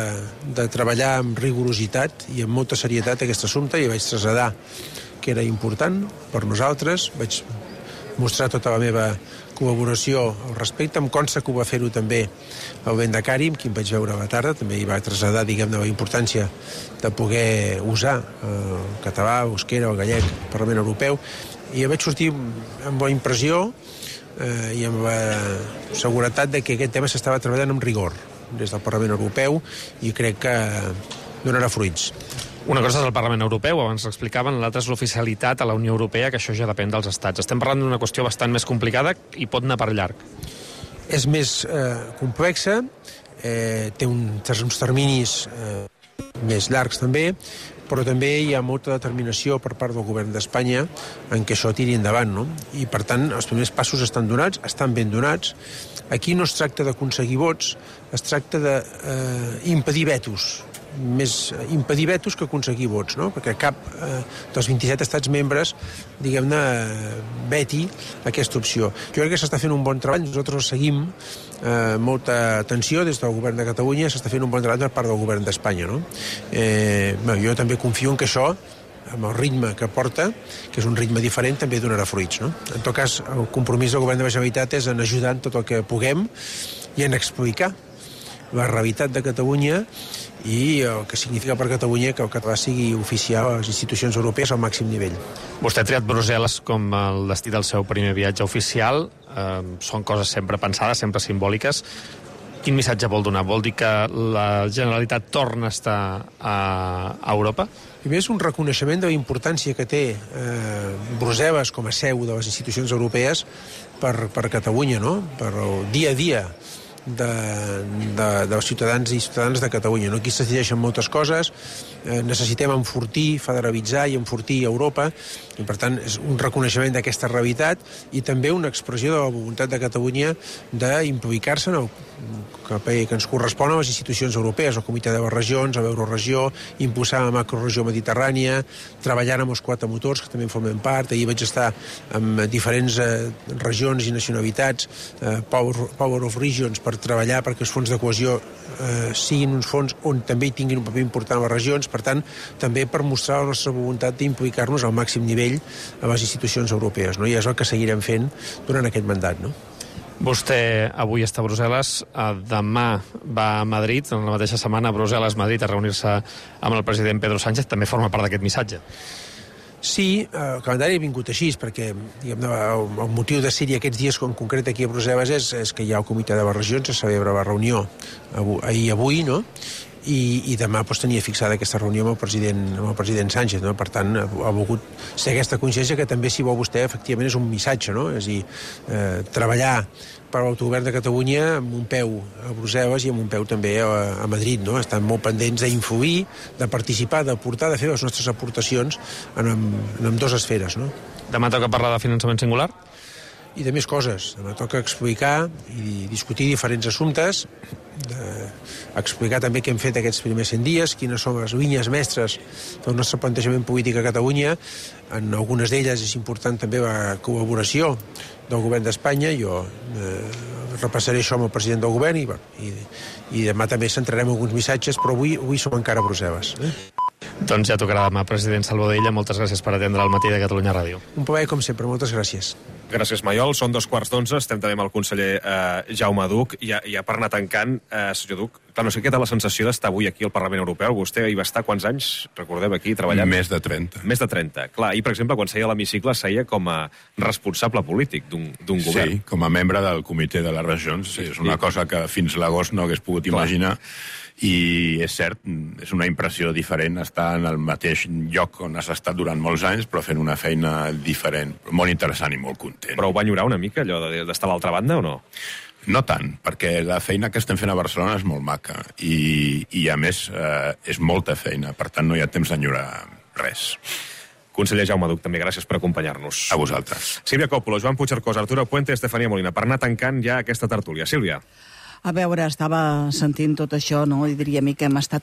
de treballar amb rigorositat i amb molta serietat aquest assumpte, i vaig traslladar que era important per nosaltres. Vaig mostrar tota la meva col·laboració al respecte. Em consta que ho va fer-ho també el Bendacari, amb qui em vaig veure a la tarda. També hi va traslladar, diguem-ne, la importància de poder usar el català, l'euskera, el gallec, el Parlament Europeu. I vaig sortir amb bona impressió eh, i amb la seguretat de que aquest tema s'estava treballant amb rigor des del Parlament Europeu, i crec que donarà fruits. Una cosa és el Parlament Europeu, abans l'explicaven, l'altra és l'oficialitat a la Unió Europea, que això ja depèn dels estats. Estem parlant d'una qüestió bastant més complicada i pot anar per llarg. És més eh, complexa, eh, té un, uns terminis eh, més llargs també, però també hi ha molta determinació per part del govern d'Espanya en què això tiri endavant, no? I, per tant, els primers passos estan donats, estan ben donats. Aquí no es tracta d'aconseguir vots, es tracta d'impedir eh, vetos, més impedir vetos que aconseguir vots, no? Perquè cap eh, dels vint-i-set estats membres, diguem-ne, veti aquesta opció. Jo crec que s'està fent un bon treball, nosaltres seguim eh, molta atenció des del govern de Catalunya, s'està fent un bon treball per part del govern d'Espanya, no? Eh, bé, jo també confio en que això, amb el ritme que porta, que és un ritme diferent, també donarà fruits, no? En tot cas, el compromís del govern de la Generalitat és en ajudar en tot el que puguem i en explicar la realitat de Catalunya i el que significa per Catalunya que el català sigui oficial a les institucions europees al màxim nivell. Vostè ha triat Brussel·les com el destí del seu primer viatge oficial. Eh, són coses sempre pensades, sempre simbòliques. Quin missatge vol donar? Vol dir que la Generalitat torna a estar a, a Europa? Primer és un reconeixement de la importància que té eh, Brussel·les com a seu de les institucions europees per, per Catalunya, no? Per el dia a dia de, de, dels ciutadans i ciutadanes de Catalunya, no? Aquí es decideixen moltes coses, eh, necessitem enfortir, federalitzar i enfortir Europa, i per tant és un reconeixement d'aquesta realitat i també una expressió de la voluntat de Catalunya d'implicar-se en el paper que ens correspon a les institucions europees, al Comitè de les Regions, a l'Euroregió, impulsar la macroregió mediterrània, treballant amb els quatre motors, que també en formen part. Ahir vaig estar amb diferents eh, regions i nacionalitats, eh, Power, Power of Regions, per treballar perquè els fons de cohesió eh, siguin uns fons on també hi tinguin un paper important a les regions, per tant, també per mostrar la nostra voluntat d'implicar-nos al màxim nivell a les institucions europees, no? I és el que seguirem fent durant aquest mandat, no? Vostè avui està a Brussel·les, demà va a Madrid, en la mateixa setmana a Brussel·les-Madrid, a reunir-se amb el president Pedro Sánchez. També forma part d'aquest missatge. Sí, el calendari ha vingut així, perquè diguem, el, el motiu de ser-hi aquests dies, en concret aquí a Brussel·les, és, és que hi ha el Comitè de les Regions, se celebra la reunió ahir avui, no? i, i demà doncs, tenia fixada aquesta reunió amb el president, amb el president Sánchez, no? Per tant, ha, ha volgut ser aquesta consciència que també, si vol vostè, efectivament és un missatge, no? És a dir, eh, treballar per l'autogovern de Catalunya amb un peu a Brussel·les i amb un peu també a, a Madrid, no? Estan molt pendents d'influir, de participar, d'aportar, de fer les nostres aportacions en, en, en dues esferes, no? Demà toca parlar de finançament singular? I de més coses. Demà toca explicar i discutir diferents assumptes, de, explicar també què hem fet aquests primers cent dies, quines són les línies mestres del nostre plantejament polític a Catalunya. En algunes d'elles és important també la col·laboració del govern d'Espanya. Jo eh, repassaré això amb el president del govern i, i, i demà també centrarem alguns missatges, però avui, avui som encara a Brussel·les. Eh? Doncs ja tocarà demà, president Salvador Illa. Moltes gràcies per atendre el matí de Catalunya Ràdio. Un plaer, com sempre. Moltes gràcies. Gràcies, Maiol. Són dos quarts d'onze. Estem també amb el conseller eh, Jaume Duch. I ja, ja per anar tancant, eh, senyor Duch, clar, no sé què té la sensació d'estar avui aquí al Parlament Europeu. Vostè hi va estar quants anys, recordem, aquí treballant? Més de trenta. Més de trenta. Clar, i per exemple, quan seia a l'hemicicle, seia com a responsable polític d'un govern. Sí, com a membre del comitè de les regions. Sí, és una cosa que fins l'agost no hagués pogut clar. imaginar. I és cert, és una impressió diferent estar en el mateix lloc on has estat durant molts anys, però fent una feina diferent, molt interessant i molt content. Però ho va enyorar una mica, allò d'estar a l'altra banda, o no? No tant, perquè la feina que estem fent a Barcelona és molt maca i, i a més, eh, és molta feina, per tant no hi ha temps d'enyorar res. Conseller Jaume Duch, també gràcies per acompanyar-nos. A vosaltres. Sílvia Coppola, Joan Puigcercós, Arturo Puente i Estefania Molina. Per anar tancant ja aquesta tertúlia. Sílvia. A veure, estava sentint tot això, no? I diria mi que hem estat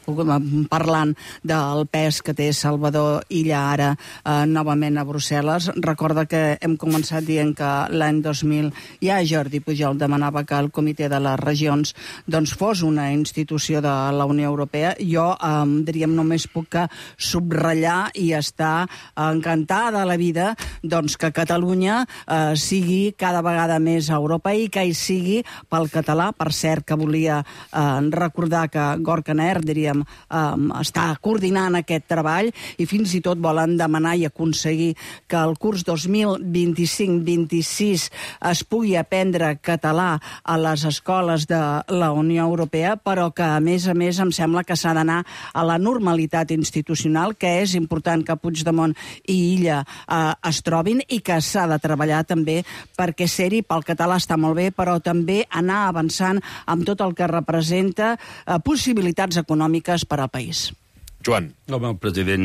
parlant del pes que té Salvador Illa ara eh, novament a Brussel·les. Recorda que hem començat dient que l'any dos mil ja Jordi Pujol demanava que el Comitè de les Regions doncs, fos una institució de la Unió Europea. Jo, eh, diríem, només puc subratllar i estar encantada de la vida doncs, que Catalunya eh, sigui cada vegada més a Europa i que hi sigui pel català, per cert, que volia eh, recordar que Gorka Ner, diríem, eh, està coordinant aquest treball i fins i tot volen demanar i aconseguir que el curs dos mil vint-i-cinc vint-i-sis es pugui aprendre català a les escoles de la Unió Europea, però que, a més a més, em sembla que s'ha d'anar a la normalitat institucional, que és important que Puigdemont i Illa eh, es trobin i que s'ha de treballar també perquè ser-hi pel català està molt bé, però també anar avançant amb tot el que representa eh, possibilitats econòmiques per al país. Joan. Home, el president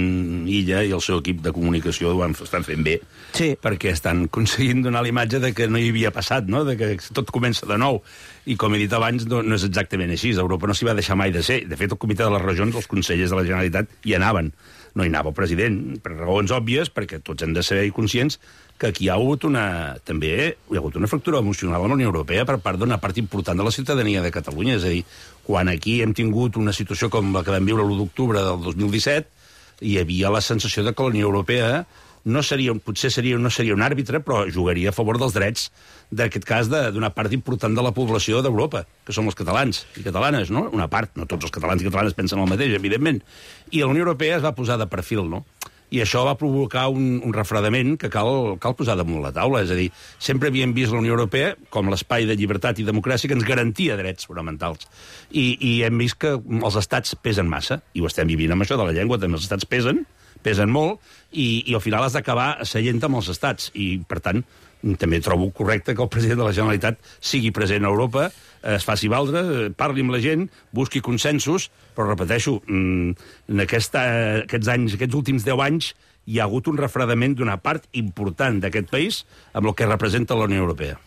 Illa i el seu equip de comunicació ho estan fent bé, sí. perquè estan aconseguint donar la imatge de que no hi havia passat, no? De que tot comença de nou. I com he dit abans, no, no és exactament així. Europa no s'hi va deixar mai de ser. De fet, el Comitè de les Regions, els consellers de la Generalitat, hi anaven. No hi anava el president, per raons òbvies, perquè tots hem de ser conscients que aquí hi ha hagut una, també hi ha hagut una fractura emocional a la Unió Europea per part d'una part important de la ciutadania de Catalunya. És a dir, quan aquí hem tingut una situació com la que vam viure l'u d'octubre del dos mil disset, hi havia la sensació de que la Unió Europea no seria, potser seria, no seria un àrbitre, però jugaria a favor dels drets, d'aquest cas, d'una part important de la població d'Europa, que són els catalans i catalanes, no? Una part, no tots els catalans i catalanes pensen el mateix, evidentment. I la Unió Europea es va posar de perfil, no? I això va provocar un, un refredament que cal, cal posar damunt la taula. És a dir, sempre havíem vist la Unió Europea com l'espai de llibertat i democràcia que ens garantia drets fonamentals. I, i hem vist que els estats pesen massa, i ho estem vivint amb això de la llengua, també els estats pesen, pesen molt, i, i al final has d'acabar seient amb els estats. I, per tant, també trobo correcte que el president de la Generalitat sigui present a Europa, es faci valdre, parli amb la gent, busqui consensos, però repeteixo, en aquesta, aquests anys, aquests últims deu anys, hi ha hagut un refredament d'una part important d'aquest país amb el que representa la Unió Europea.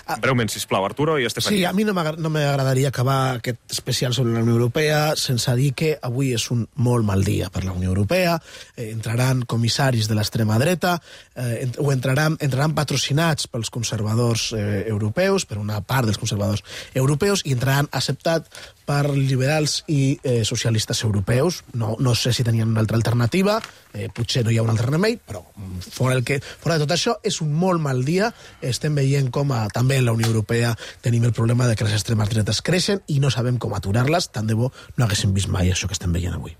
Ah, breument, sisplau, Arturo i Estefania. Sí, a mi no m'agradaria acabar aquest especial sobre la Unió Europea sense dir que avui és un molt mal dia per la Unió Europea. Eh, entraran comissaris de l'extrema dreta, eh, o entraran, entraran patrocinats pels conservadors eh, europeus, per una part dels conservadors europeus, i entraran acceptat per liberals i eh, socialistes europeus. No, no sé si tenien una altra alternativa, eh, potser no hi ha un altre remei, però fora, el que, fora de tot això, és un molt mal dia. Estem veient com a, també en la Unió Europea tenim el problema de que les extremes dretes creixen i no sabem com aturar-les. Tant de bo no haguéssim vist mai això que estem veient avui.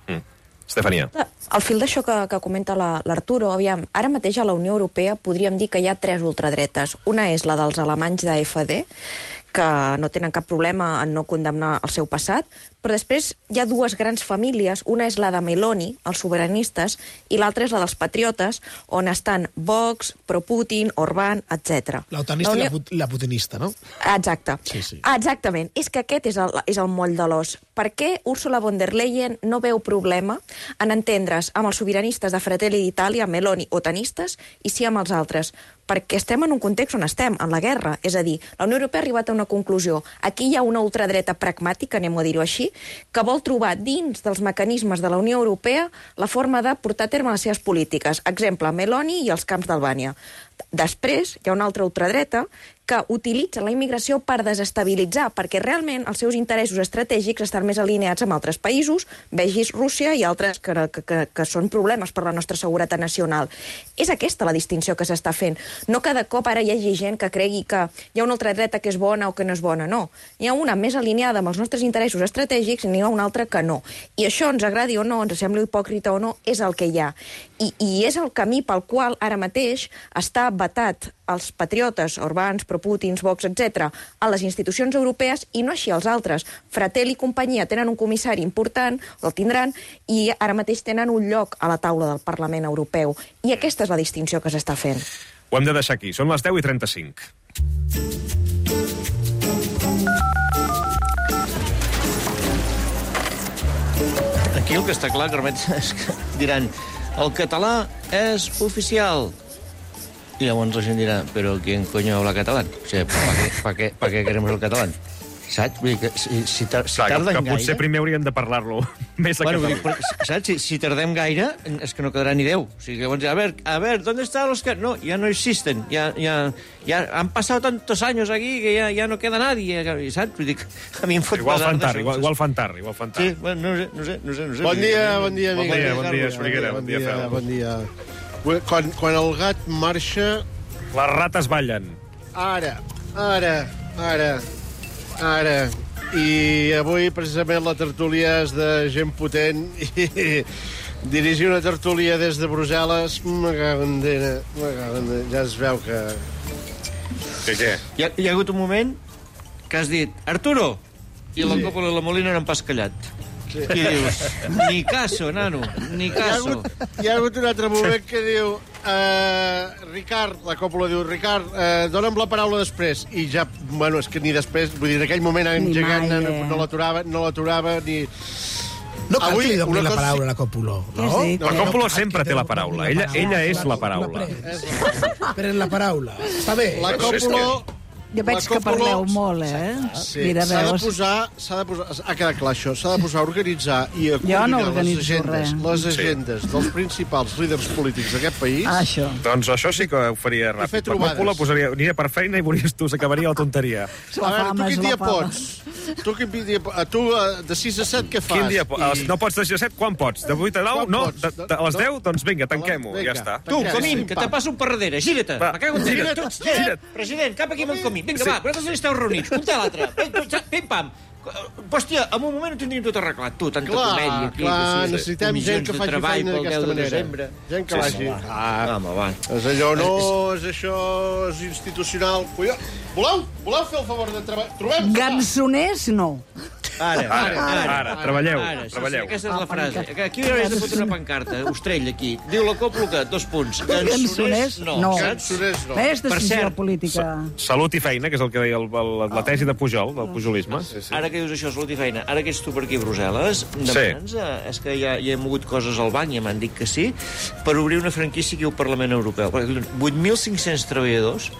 Mm. Estefania. Al fil d'això que, que comenta l'Arturo, aviam, ara mateix a la Unió Europea podríem dir que hi ha tres ultradretes. Una és la dels alemanys d'A F D, que no tenen cap problema en no condemnar el seu passat, però després hi ha dues grans famílies. Una és la de Meloni, els sobiranistes, i l'altra és la dels patriotes, on estan Vox, pro-Putin, Orbán, etcètera. L'autanista la Unió... i la putinista, no? Exacte. Sí, sí. Exactament. És que aquest és el, és el moll de l'os. Per què Ursula von der Leyen no veu problema en entendre's amb els sobiranistes de Fratelli d'Itàlia, Meloni, otanistes, i sí amb els altres? Perquè estem en un context on estem, en la guerra. És a dir, la Unió Europea ha arribat a una conclusió. Aquí hi ha una ultradreta pragmàtica, anem a dir-ho així, que vol trobar dins dels mecanismes de la Unió Europea la forma de portar a terme les seves polítiques. Exemple, Meloni i els camps d'Albània. Després, hi ha una altra ultradreta que utilitza la immigració per desestabilitzar, perquè realment els seus interessos estratègics estan més alineats amb altres països, vegis Rússia i altres que, que, que, que són problemes per la nostra seguretat nacional. És aquesta la distinció que s'està fent. No cada cop ara hi hagi gent que cregui que hi ha una ultradreta que és bona o que no és bona, no. Hi ha una més alineada amb els nostres interessos estratègics i n'hi ha una altra que no. I això, ens agradi o no, ens sembli hipòcrita o no, és el que hi ha. I, i és el camí pel qual ara mateix està vetat els patriotes, Orbáns, pro-Putins, Vox, etcètera, a les institucions europees i no així als altres. Fratelli i companyia tenen un comissari important, el tindran, i ara mateix tenen un lloc a la taula del Parlament Europeu. I aquesta és la distinció que s'està fent. Ho hem de deixar aquí. Són les deu i trenta-cinc. Aquí el que està clar, Carmet, és que diran el català és oficial. Y llavors la gent dirà, però ¿quién coño habla catalán? O sigui, ¿para qué, pa qué, pa qué queremos el catalán? Saps? Vull dir que si, si, tar, si Clar, tarden que, que gaire... potser primer hauríem de parlar-lo més a bueno, català. Però, saps? Si, si tardem gaire, és que no quedarà ni Déu. O sigui, llavors, a ver, a ver, ¿dónde están los que...? No, ya no existen. Ya, ya, ya han pasado tantos años aquí que ya, ya no queda nadie. Saps? Vull dir que a mi em fot Igual fan pesar tard, igual, igual fan tard, igual fan tard. Sí, bueno, no sé, no sé, no sé. No sé bon dia, bon dia, bon dia, bon dia, Soriguera, bon dia, Fel. Bon dia. Quan, quan el gat marxa... Les rates ballen. Ara, ara, ara, ara... I avui, precisament, la tertúlia és de gent potent i dirigir una tertúlia des de Brussel·les, me cago en dena, me cago en dena. Ja es veu que... Que què? Hi ha, hi ha hagut un moment que has dit Arturo, i la sí. Còppola i la Molina n'han pas callat. Sí. I dius, ni caso, nano, ni caso. Hi ha hagut, hi ha hagut un altre moment que diu... Uh, Ricard, la Còppola diu, Ricard, uh, dona'm la paraula després. I ja, bueno, és que ni després, vull dir, en aquell moment engegant no, no l'aturava, no l'aturava, ni... No cal Avui, que li doni la cosa... paraula a la Còppola, no? no, la Còppola no sempre té la paraula. Ella, ella és la paraula. Pren la paraula. Està bé. La Còppola... Jo veig que parleu molt, eh? Sí, s'ha de posar, s'ha de posar, ha quedat clar això, s'ha de posar a organitzar i a coordinar no les agendes, res. les agendes sí. dels principals líders polítics d'aquest país. Ah, això. Doncs això sí que ho faria ràpid. La Còppola posaria, aniria per feina i veuries tu, s'acabaria la tonteria. A veure, tu quin dia pots? Tu, quin dia, tu de sis a set què fas? Quin dia pots? No pots de sis a set? Quan pots? De vuit a nou? No? De, de, a les deu? Doncs vinga, tanquem-ho, ja està. Tu, Comín, que te passo un per darrere, gira't. Me cago en gira't. President, cap aquí amb el Comín. Vinga, va, vosaltres esteu reunits, un té l'altre. Pim-pam. Hòstia, en un moment ho tindríem tot arreglat, tu, tanta comèdia aquí. Clar, necessitem gent que faci feina d'aquesta manera. Gent que vagi. Ah, home, va. És allò, no, és això, és institucional. Voleu? Voleu fer el favor de treballar? Gansoners, no. Ara, ara, ara, ara, treballeu, ara, treballeu. Sí, aquesta és la frase. Aquí hauries de fotre una pancarta, Ostrell, aquí. Diu la Còppola, dos punts. Gansoners, no. No. Gansoners, no. És decisió política. Salut i feina, que és el que deia el, el, la tesi de Pujol, del pujolisme. Sí, sí. Ara que dius això, salut i feina, ara que ets tu per aquí a Brussel·les, demana'ns, sí. És que ja, ja hem mogut coses al banc, ja m'han dit que sí, per obrir una franquícia aquí al Parlament Europeu. vuit mil cinc-cents treballadors.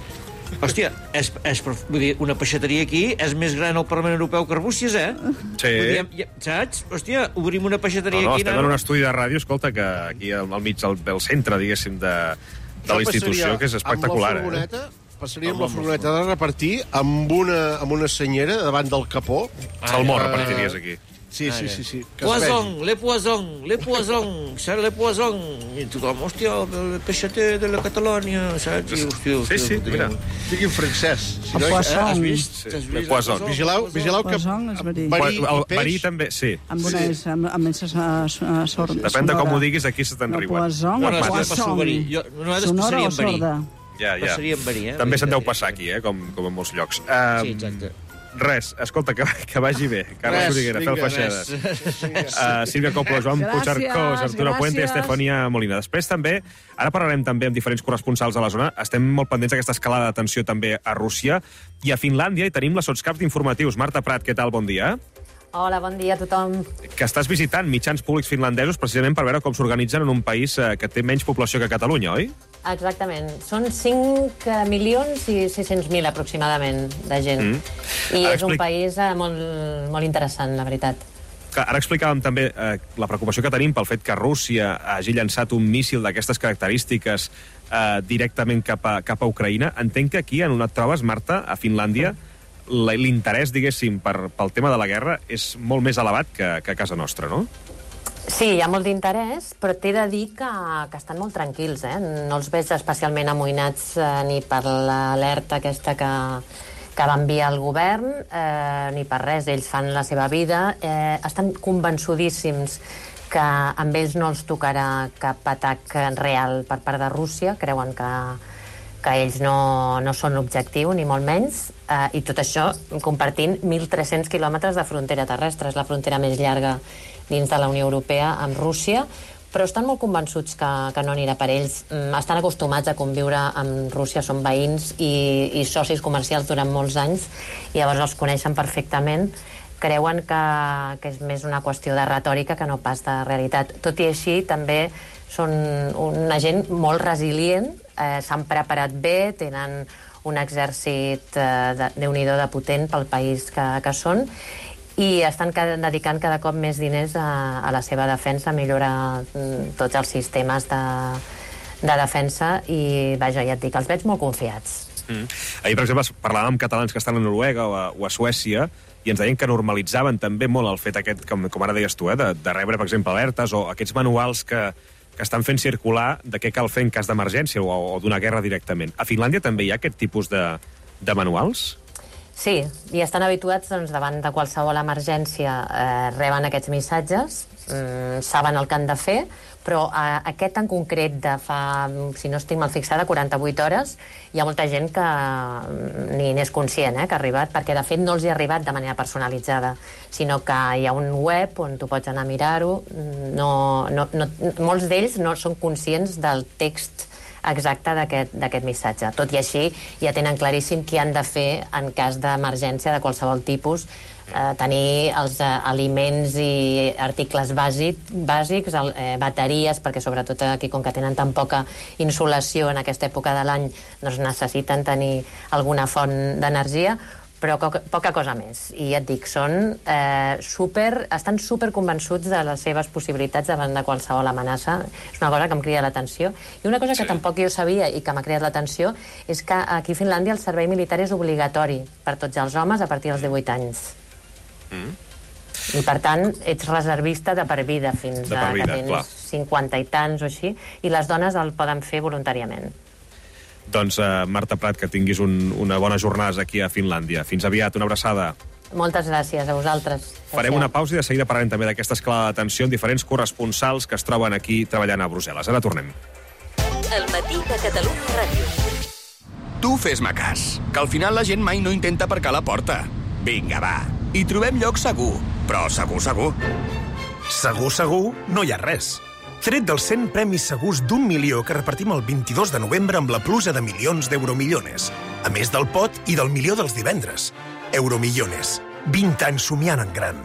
Hòstia, és, és, vull dir, una peixateria aquí és més gran al Parlament Europeu que Arbúcies, eh? Sí. Dir, ja, saps? Hòstia, obrim una peixateria no, no, aquí... No, estem en un estudi de ràdio, escolta, que aquí al, al mig del, del centre, diguéssim, de, de la institució, que és espectacular. Amb la furgoneta, eh? Passaria amb la furgoneta de repartir amb una, amb una senyera davant del capó. Salmó repartiries aquí. Sí, sí, sí, sí. Poisson, le poisson, le poisson, saps, le poisson. I tothom, hòstia, el peixater de la Catalònia, saps? I, hòstia, sí, sí, mira. Diguin francès. Si no, has vist? Le poisson. Vigileu, vigileu que... Verí i peix... Verí també, sí. Amb una és, amb, amb sorda. Depèn de com ho diguis, aquí se te'n riuen. Poisson, poisson. Nosaltres passaríem verí. Ja, ja. Passaríem verí, eh? També se'n deu passar aquí, eh? Com, com en molts llocs. Sí, exacte. Res, escolta, que, que vagi bé. Carles Xuriguera, Fel Feixedes. Uh, Sílvia Coppola, Joan Puigcercós, Arturo Puente i Estefania Molina. Després també, ara parlarem també amb diferents corresponsals de la zona, estem molt pendents d'aquesta escalada de tensió també a Rússia i a Finlàndia, i tenim la sotscaps d'informatius. Marta Prat, què tal? Bon dia. Hola, bon dia a tothom. Que estàs visitant mitjans públics finlandesos precisament per veure com s'organitzen en un país que té menys població que Catalunya, oi? Exactament. Són cinc milions i sis-cents mil aproximadament de gent. Mm. I ara és explic... un país eh, molt, molt interessant, la veritat. Ara explicàvem també eh, la preocupació que tenim pel fet que Rússia hagi llançat un míssil d'aquestes característiques eh, directament cap a, cap a Ucraïna. Entenc que aquí, en on et trobes, Marta, a Finlàndia, l'interès, diguéssim, per, pel tema de la guerra és molt més elevat que, que a casa nostra, no? Sí, hi ha molt d'interès, però t'he de dir que, que estan molt tranquils, eh? No els veig especialment amoïnats eh, ni per l'alerta aquesta que, que va enviar el govern, eh, ni per res. Ells fan la seva vida, eh, estan convençudíssims que amb ells no els tocarà cap atac real per part de Rússia, creuen que, que ells no, no són l'objectiu, ni molt menys, eh, i tot això compartint mil tres-cents quilòmetres de frontera terrestre. És la frontera més llarga dins de la Unió Europea amb Rússia, però estan molt convençuts que, que no anirà per ells. Estan acostumats a conviure amb Rússia, són veïns i, i socis comercials durant molts anys, i llavors els coneixen perfectament. Creuen que, que és més una qüestió de retòrica que no pas de realitat. Tot i així, també són una gent molt resilient, eh, s'han preparat bé, tenen un exèrcit eh, de, Déu-n'hi-do de potent pel país que, que són, i estan cada, dedicant cada cop més diners a, a la seva defensa, a millorar mm, tots els sistemes de, de defensa, i vaja, ja et dic, els veig molt confiats. Mm. Ahir, per exemple, parlàvem amb catalans que estan a Noruega o a, o a Suècia, i ens deien que normalitzaven també molt el fet aquest, com, com ara deies tu, eh, de, de rebre, per exemple, alertes o aquests manuals que, que estan fent circular de què cal fer en cas d'emergència o, o d'una guerra directament. A Finlàndia també hi ha aquest tipus de, de manuals? Sí, i estan habituats, doncs, davant de qualsevol emergència, eh, reben aquests missatges, eh, saben el que han de fer, però eh, aquest en concret de fa, si no estic mal fixada, quaranta-vuit hores, hi ha molta gent que ni n'és conscient, eh, que ha arribat, perquè de fet no els hi ha arribat de manera personalitzada, sinó que hi ha un web on tu pots anar a mirar-ho. No, no, no, molts d'ells no són conscients del text exacte d'aquest missatge. Tot i així, ja tenen claríssim què han de fer en cas d'emergència de qualsevol tipus, eh, tenir els eh, aliments i articles bàsic, bàsics, el, eh, bateries, perquè sobretot aquí, com que tenen tan poca insolació en aquesta època de l'any, doncs necessiten tenir alguna font d'energia, però poca cosa més. I ja et dic, són eh, super, estan super convençuts de les seves possibilitats davant de qualsevol amenaça. És una cosa que em crida l'atenció. I una cosa que sí. tampoc jo sabia i que m'ha cridat l'atenció és que aquí a Finlàndia el servei militar és obligatori per tots els homes a partir dels divuit anys. Mm. I per tant, ets reservista de per vida fins de per vida, a que tens clar. cinquanta i tants o així, i les dones el poden fer voluntàriament. Doncs, uh, Marta Prat, que tinguis un, una bona jornada aquí a Finlàndia. Fins aviat, una abraçada. Moltes gràcies a vosaltres. Farem una pausa i de seguida parlarem també d'aquesta escalada de tensió en diferents corresponsals que es troben aquí treballant a Brussel·les. Ara tornem. El matí de Catalunya Ràdio. Tu fes-me cas, que al final la gent mai no intenta aparcar la porta. Vinga, va, hi trobem lloc segur, però segur, segur. Segur, segur, no hi ha res. Tret dels cent premis segurs d'un milió que repartim el vint-i-dos de novembre amb la pluja de milions d'Euromillones. A més del pot i del milió dels divendres. Euromillones. vint anys somiant en gran.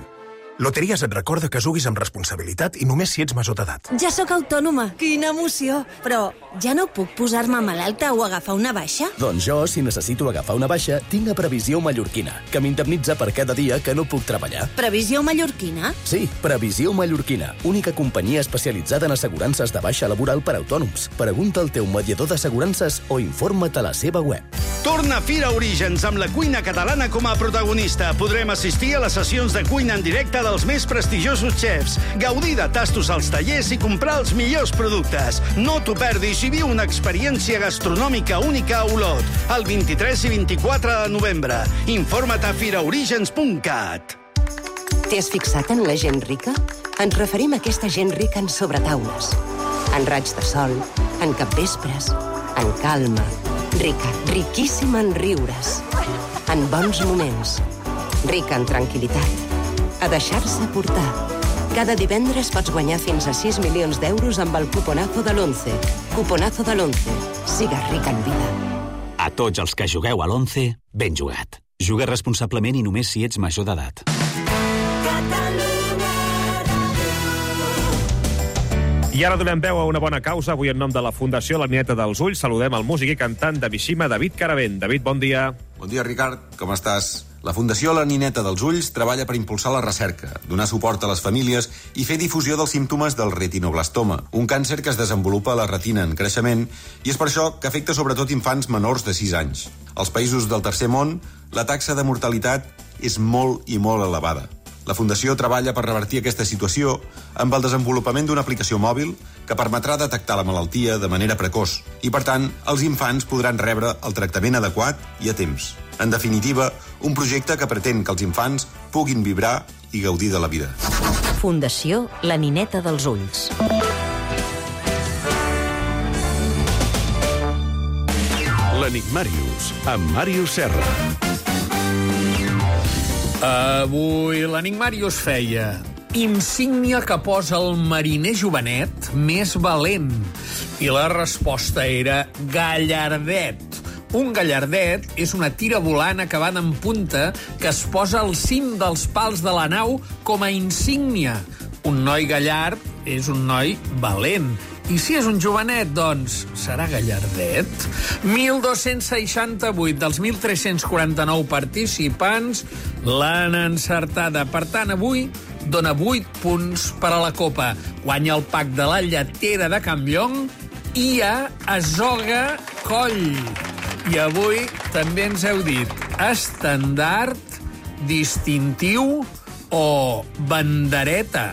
Loteries et recorda que juguis amb responsabilitat i només si ets major d'edat. Ja sóc autònoma. Quina emoció. Però ja no puc posar-me malalta o agafar una baixa? Doncs jo, si necessito agafar una baixa, tinc a Previsió Mallorquina, que m'indemnitza per cada dia que no puc treballar. Previsió Mallorquina? Sí, Previsió Mallorquina, única companyia especialitzada en assegurances de baixa laboral per a autònoms. Pregunta al teu mediador d'assegurances o informa't a la seva web. Torna Fira Orígens amb la cuina catalana com a protagonista. Podrem assistir a les sessions de cuina en directe dels més prestigiosos xefs, gaudir de tastos als tallers i comprar els millors productes. No t'ho perdis i viu una experiència gastronòmica única a Olot, el vint-i-tres i vint-i-quatre de novembre. Informa't a firaorígens punt cat. T'has fixat en la gent rica? Ens referim a aquesta gent rica en sobretaules, en raigs de sol, en capvespres, en calma, rica, riquíssima en riures, en bons moments, rica en tranquil·litat. A deixar-se portar. Cada divendres pots guanyar fins a sis milions d'euros amb el cuponazo de l'once. Cuponazo de l'once. Sigues ric en vida. A tots els que jugueu a l'once, ben jugat. Juga responsablement i només si ets major d'edat. I ara donem veu a una bona causa. Avui en nom de la Fundació La Nineta dels Ulls saludem el músic i cantant de Mishima, David Caravent. David, bon dia. Bon dia, Ricard. Com estàs? La Fundació La Nineta dels Ulls treballa per impulsar la recerca, donar suport a les famílies i fer difusió dels símptomes del retinoblastoma, un càncer que es desenvolupa a la retina en creixement i és per això que afecta sobretot infants menors de sis anys. Als països del tercer món, la taxa de mortalitat és molt i molt elevada. La Fundació treballa per revertir aquesta situació amb el desenvolupament d'una aplicació mòbil que permetrà detectar la malaltia de manera precoç i, per tant, els infants podran rebre el tractament adequat i a temps. En definitiva, un projecte que pretén que els infants puguin vibrar i gaudir de la vida. Fundació La Nineta dels Ulls. L'Enigmàrius, amb Màrius Serra. Avui l'Enigmàrius feia insígnia que posa el mariner jovenet més valent. I la resposta era gallardet. Un gallardet és una tira volant acabada en punta que es posa al cim dels pals de la nau com a insígnia. Un noi gallard és un noi valent. I si és un jovenet, doncs, serà gallardet? mil dos-cents seixanta-vuit dels mil tres-cents quaranta-nou participants l'han encertada. Per tant, avui dona vuit punts per a la Copa. Guanya el pack de la lletera de Campllong i a Azoga Coll. I avui també ens heu dit estendard, distintiu o bandereta.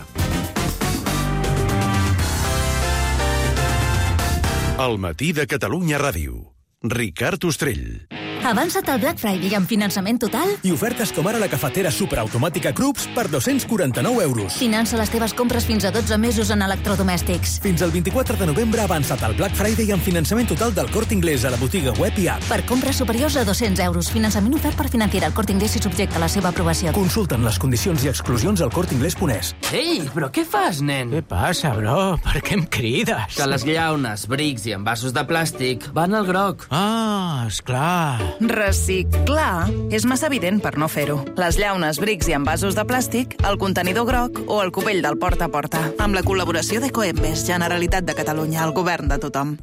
El matí de Catalunya Ràdio. Ricard Ostrell. Avança't al Black Friday amb finançament total i ofertes com ara la cafetera superautomàtica Krups per dos-cents quaranta-nou euros. Finança les teves compres fins a dotze mesos en electrodomèstics. Fins al vint-i-quatre de novembre avança't al Black Friday amb finançament total del Corte Inglés a la botiga web i app. Per compres superiors a dos-cents euros. Finançament ofert per Financiera al Corte Inglés i subjecte a la seva aprovació. Consulta'n les condicions i exclusions al corte inglés punt es. Ei, però què fas, nen? Què passa, bro? Per què em crides? Que les llaunes, brics i envasos de plàstic van al groc. Ah, esclar. Reciclar és massa evident per no fer-ho. Les llaunes, brics i envasos de plàstic, el contenidor groc o el cubell del porta a porta. Amb la col·laboració d'Ecoembes, Generalitat de Catalunya, el govern de tothom.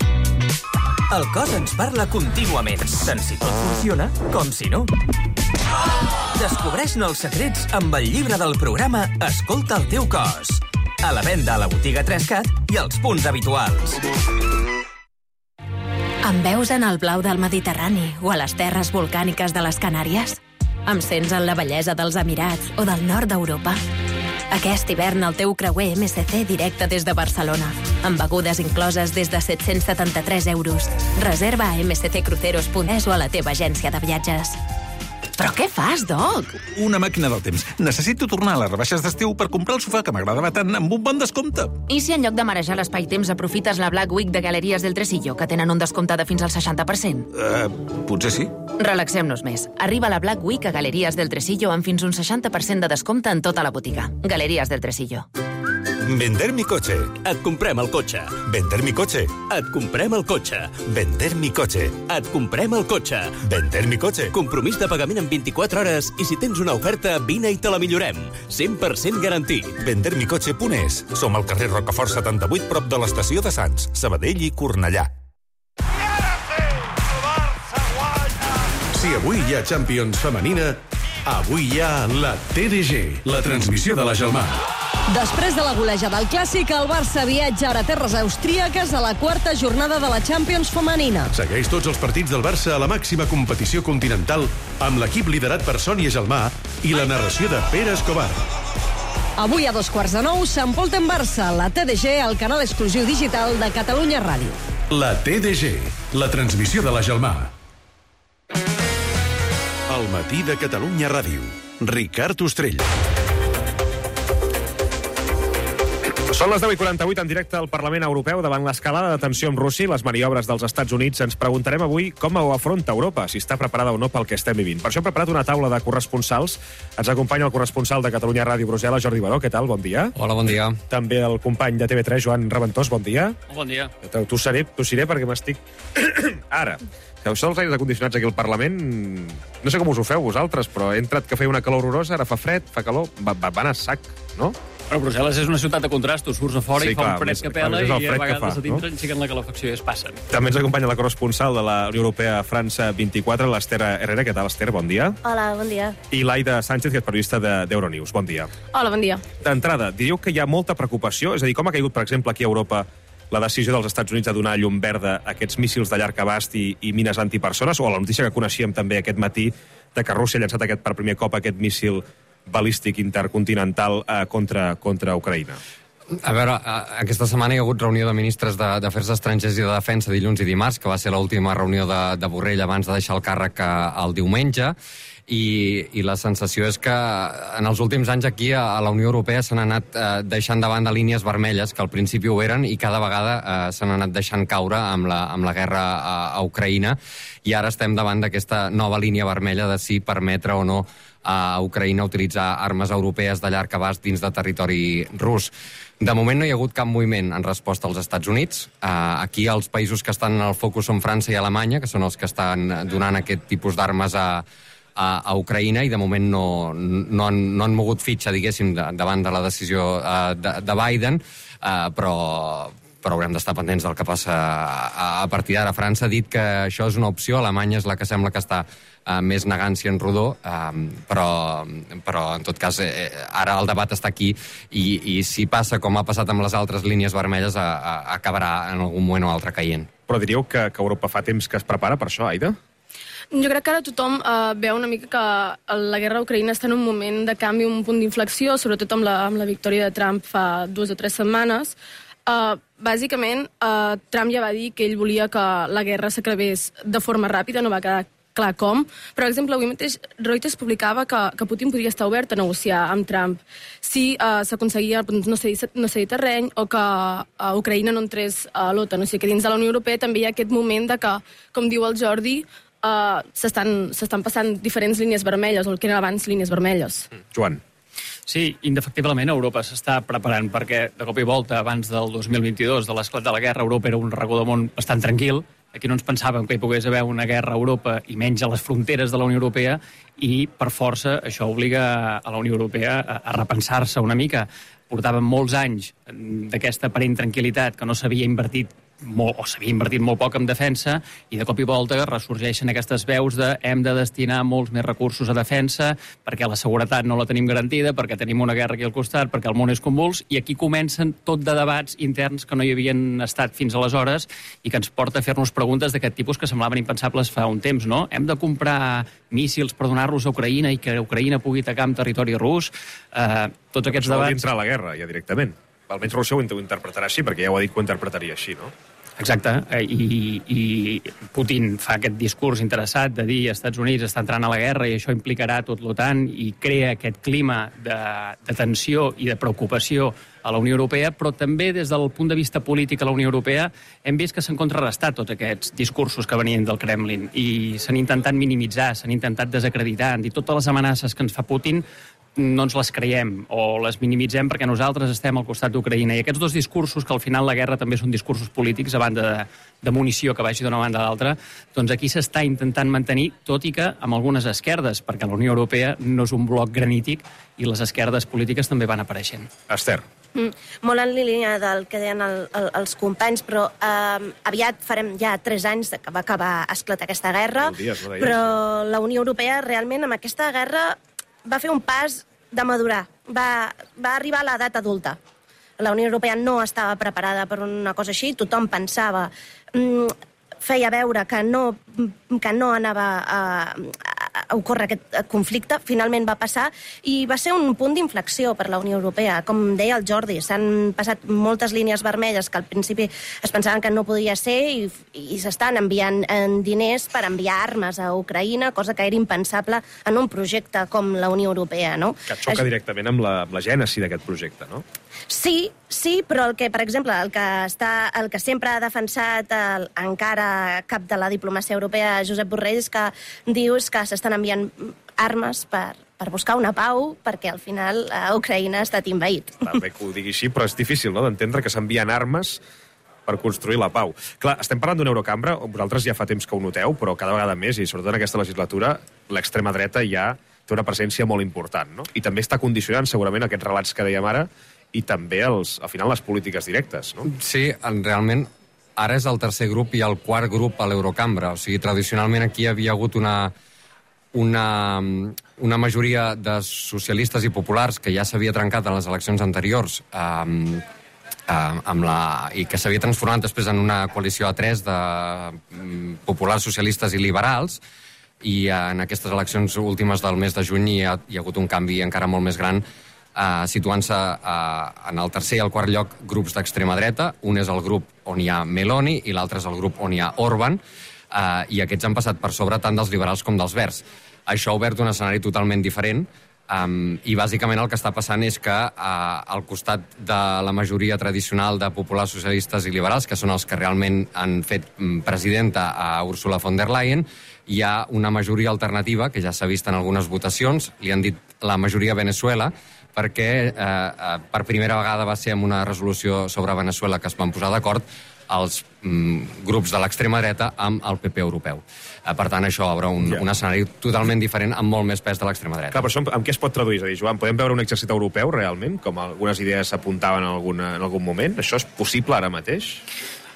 El cos ens parla contínuament, tant si tot funciona com si no. Descobreix-ne els secrets amb el llibre del programa Escolta el teu cos. A la venda a la botiga tres cat i als punts habituals. Em veus en el blau del Mediterrani o a les terres volcàniques de les Canàries? Em sents en la bellesa dels Emirats o del nord d'Europa? Aquest hivern el teu creuer M S C directe des de Barcelona, amb begudes incloses des de set-cents setanta-tres euros. Reserva a m c c cruceros punt es o a la teva agència de viatges. Però què fas, Doc? Una màquina del temps. Necessito tornar a les rebaixes d'estiu per comprar el sofà que m'agradava tant amb un bon descompte. I si en lloc de marejar l'espai-temps aprofites la Black Week de Galeries del Tresillo, que tenen un descompte de fins al seixanta per cent? Uh, potser sí. Relaxem-nos més. Arriba la Black Week a Galeries del Tresillo amb fins un seixanta per cent de descompte en tota la botiga. Galeries del Tresillo. Vender mi coche. Et comprem el cotxe. Vender mi coche. Et comprem el cotxe. Vender mi coche. Et comprem el cotxe. Vender mi coche. Compromís de pagament en vint-i-quatre hores i si tens una oferta, vine i te la millorem. cent per cent garantit. vender mi coche punt es. Som al carrer Rocafort setanta-vuit, prop de l'estació de Sants, Sabadell i Cornellà. Si avui hi ha Champions femenina, avui hi ha la T D G, la transmissió de la Gelmar. Després de la golejada del Clàssic, el Barça viatja ara a terres austríaques a la quarta jornada de la Champions femenina. Segueix tots els partits del Barça a la màxima competició continental amb l'equip liderat per Sònia Gelmar i la narració de Pere Escobar. Avui a dos quarts de nou, Sant Pol en Barça, la T D G, el canal exclusiu digital de Catalunya Ràdio. La T D G, la transmissió de la Gelmar. El matí de Catalunya Ràdio. Ricard Ostrell. Són les deu i quaranta-vuit en directe al Parlament Europeu davant l'escalada de tensió amb Rússia i les maniobres dels Estats Units. Ens preguntarem avui com ho afronta Europa, si està preparada o no pel que estem vivint. Per això hem preparat una taula de corresponsals. Ens acompanya el corresponsal de Catalunya Ràdio Brussel·les, Jordi Baró. Què tal? Bon dia. Hola, bon dia. També el company de T V tres, Joan Reventós. Bon dia. Bon dia. Tu seré, tu seré perquè m'estic... Ara. Això dels aires acondicionats aquí al Parlament, no sé com us ho feu vosaltres, però he entrat que feia una calor horrorosa, ara fa fred, fa calor, va, va, va anar a sac, no? Però Brussel·les és una ciutat de contrastos, surts a fora sí, i fa clar, un fred més, que pela clar, i a vegades fa, a dintre no? Aixequen la calefacció i es passen. També ens acompanya la corresponsal de la Unió Europea a França vint-i-quatre, l'Ester Herrera. Què tal, Ester? Bon dia. Hola, bon dia. I l'Aida Sánchez, que és periodista d'Euronews. Bon dia. Hola, bon dia. D'entrada, diríeu que hi ha molta preocupació? És a dir, com ha caigut, per exemple, aquí a Europa la decisió dels Estats Units de donar llum verda a aquests míssils de llarg abast i, i mines antipersones, o la notícia que coneixíem també aquest matí de que Rússia ha llançat aquest, per primer cop aquest míssil balístic intercontinental eh, contra, contra Ucraïna? A veure, aquesta setmana hi ha hagut reunió de ministres d'Afers Estrangers i de Defensa dilluns i dimarts, que va ser l'última reunió de, de Borrell abans de deixar el càrrec el diumenge, i, i la sensació és que en els últims anys aquí a, a la Unió Europea s'han anat eh, deixant de banda línies vermelles, que al principi ho eren, i cada vegada eh, s'han anat deixant caure amb la, amb la guerra a, a Ucraïna, i ara estem davant d'aquesta nova línia vermella de si permetre o no a Ucraïna utilitzar armes europees de llarg abast dins de territori rus. De moment no hi ha hagut cap moviment en resposta als Estats Units. Uh, aquí els països que estan en el focus són França i Alemanya, que són els que estan donant aquest tipus d'armes a, a, a Ucraïna, i de moment no, no, han, no han mogut fitxa, diguéssim, de, davant de la decisió uh, de, de Biden, uh, però... però haurem d'estar pendents del que passa a, a partir d'ara. França ha dit que això és una opció, Alemanya és la que sembla que està uh, més negant-s'hi en rodó, uh, però, però en tot cas eh, ara el debat està aquí, i, i si passa com ha passat amb les altres línies vermelles a, a, acabarà en algun moment o altre caient. Però diríeu que, que Europa fa temps que es prepara per això, Aida? Jo crec que ara tothom eh, veu una mica que la guerra a Ucraïna està en un moment de canvi, un punt d'inflexió, sobretot amb la, amb la victòria de Trump fa dues o tres setmanes. Uh, bàsicament, uh, Trump ja va dir que ell volia que la guerra s'acabés de forma ràpida, no va quedar clar com. Per exemple, avui mateix Reuters publicava que, que Putin podria estar obert a negociar amb Trump si uh, s'aconseguia no cedir, no cedir terreny, o que uh, Ucraïna no entrés a l'OTAN. O sigui que dins de la Unió Europea també hi ha aquest moment de que, com diu el Jordi, uh, s'estan passant diferents línies vermelles, o el que eren abans línies vermelles. Joan. Sí, indefectiblement Europa s'està preparant, perquè de cop i volta, abans del dos mil vint-i-dos, de l'esclat de la guerra, Europa era un racó del món bastant tranquil. Aquí no ens pensàvem que hi pogués haver una guerra a Europa i menys a les fronteres de la Unió Europea, i per força això obliga a la Unió Europea a, a repensar-se una mica. Portàvem molts anys d'aquesta aparent tranquil·litat que no s'havia invertit molt, o s'havia invertit molt poc en defensa, i de cop i volta ressorgeixen aquestes veus de hem de destinar molts més recursos a defensa perquè la seguretat no la tenim garantida, perquè tenim una guerra aquí al costat, perquè el món és convuls, i aquí comencen tot de debats interns que no hi havien estat fins aleshores i que ens porta a fer-nos preguntes d'aquest tipus que semblaven impensables fa un temps, no? Hem de comprar míssils per donar-los a Ucraïna i que Ucraïna pugui atacar en territori rus? Eh, tots aquests Això debats... vol entrar a la guerra, ja directament. Almenys Rússia ho interpretarà així, perquè ja ho ha dit que ho interpretaria així, no? Exacte, i, i Putin fa aquest discurs interessat de dir als Estats Units està entrant a la guerra i això implicarà tot l'OTAN, i crea aquest clima de, de tensió i de preocupació a la Unió Europea, però també des del punt de vista polític a la Unió Europea hem vist que s'han contrarrestat tots aquests discursos que venien del Kremlin i s'han intentat minimitzar, s'han intentat desacreditar, han dit totes les amenaces que ens fa Putin no ens les creiem o les minimitzem perquè nosaltres estem al costat d'Ucraïna. I aquests dos discursos, que al final la guerra també són discursos polítics a banda de, de munició que vagi d'una banda a l'altra, doncs aquí s'està intentant mantenir, tot i que amb algunes esquerdes, perquè la Unió Europea no és un bloc granític i les esquerdes polítiques també van apareixent. Ester. Mm, molt en línia del que deien el, el, els companys, però eh, aviat farem ja tres anys que va acabar esclatar aquesta guerra, dies, no però la Unió Europea realment amb aquesta guerra va fer un pas de madurar, va, va arribar a l'edat adulta. La Unió Europea no estava preparada per una cosa així, tothom pensava, mm, feia veure que no, que no anava a, a ocórrer aquest conflicte, finalment va passar, i va ser un punt d'inflexió per la Unió Europea. Com deia el Jordi, s'han passat moltes línies vermelles que al principi es pensaven que no podia ser, i, i s'estan enviant diners per enviar armes a Ucraïna, cosa que era impensable en un projecte com la Unió Europea, no? Que xoca directament amb la, amb la gènesi d'aquest projecte, no? Sí, sí, però el que, per exemple, el que, està, el que sempre ha defensat el, encara cap de la diplomàcia europea, Josep Borrell, és que diu que s'estan enviant armes per, per buscar una pau, perquè al final a Ucraïna ha estat invaït. Clar, bé que ho digui així, però és difícil, no?, d'entendre que s'envien armes per construir la pau. Clar, estem parlant d'una Eurocambra, vosaltres ja fa temps que ho noteu, però cada vegada més, i sobretot en aquesta legislatura, l'extrema dreta ja té una presència molt important, no? I també està condicionant segurament aquests relats que dèiem ara i també, els, al final, les polítiques directes, no? Sí, realment, ara és el tercer grup i el quart grup a l'Eurocambra. O sigui, tradicionalment aquí hi havia hagut una, una, una majoria de socialistes i populars que ja s'havia trencat en les eleccions anteriors um, um, amb la, i que s'havia transformat després en una coalició a tres de um, populars, socialistes i liberals, i en aquestes eleccions últimes del mes de juny hi ha, hi ha hagut un canvi encara molt més gran, Uh, situant-se uh, en el tercer i el quart lloc grups d'extrema dreta. Un és el grup on hi ha Meloni i l'altre és el grup on hi ha Orban, uh, i aquests han passat per sobre tant dels liberals com dels verds. Això ha obert un escenari totalment diferent, um, i bàsicament el que està passant és que uh, al costat de la majoria tradicional de populars, socialistes i liberals, que són els que realment han fet presidenta a Ursula von der Leyen, hi ha una majoria alternativa, que ja s'ha vist en algunes votacions, li han dit la majoria Venezuela, perquè eh, eh, per primera vegada va ser amb una resolució sobre Venezuela que es van posar d'acord els mm, grups de l'extrema dreta amb el P P europeu. Eh, per tant, això obre un, yeah. un escenari totalment diferent amb molt més pes de l'extrema dreta. Clar, però això amb què es pot traduir? És a dir, Joan, podem veure un exèrcit europeu realment, com algunes idees s'apuntaven en, alguna, en algun moment? Això és possible ara mateix?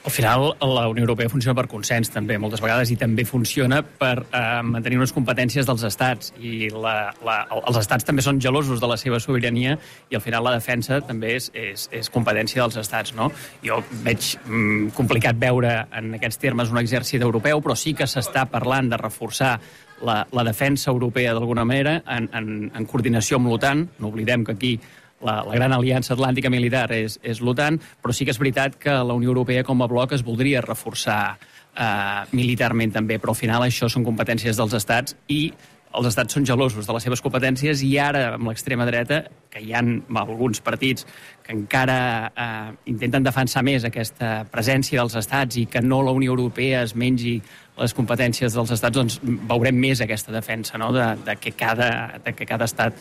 Al final, la Unió Europea funciona per consens, també, moltes vegades, i també funciona per eh, mantenir unes competències dels estats. I la, la, els estats també són gelosos de la seva sobirania i, al final, la defensa també és, és, és competència dels estats, no? Jo veig mm, complicat veure en aquests termes un exèrcit europeu, però sí que s'està parlant de reforçar la, la defensa europea d'alguna manera en, en, en coordinació amb l'OTAN. No oblidem que aquí La, la gran aliança atlàntica militar és, és l'OTAN, però sí que és veritat que la Unió Europea com a bloc es voldria reforçar eh, militarment també, però al final això són competències dels estats i els estats són gelosos de les seves competències, i ara amb l'extrema dreta, que hi ha alguns partits que encara eh, intenten defensar més aquesta presència dels estats i que no la Unió Europea es mengi les competències dels estats, doncs veurem més aquesta defensa, no? de, de, que cada, de que cada estat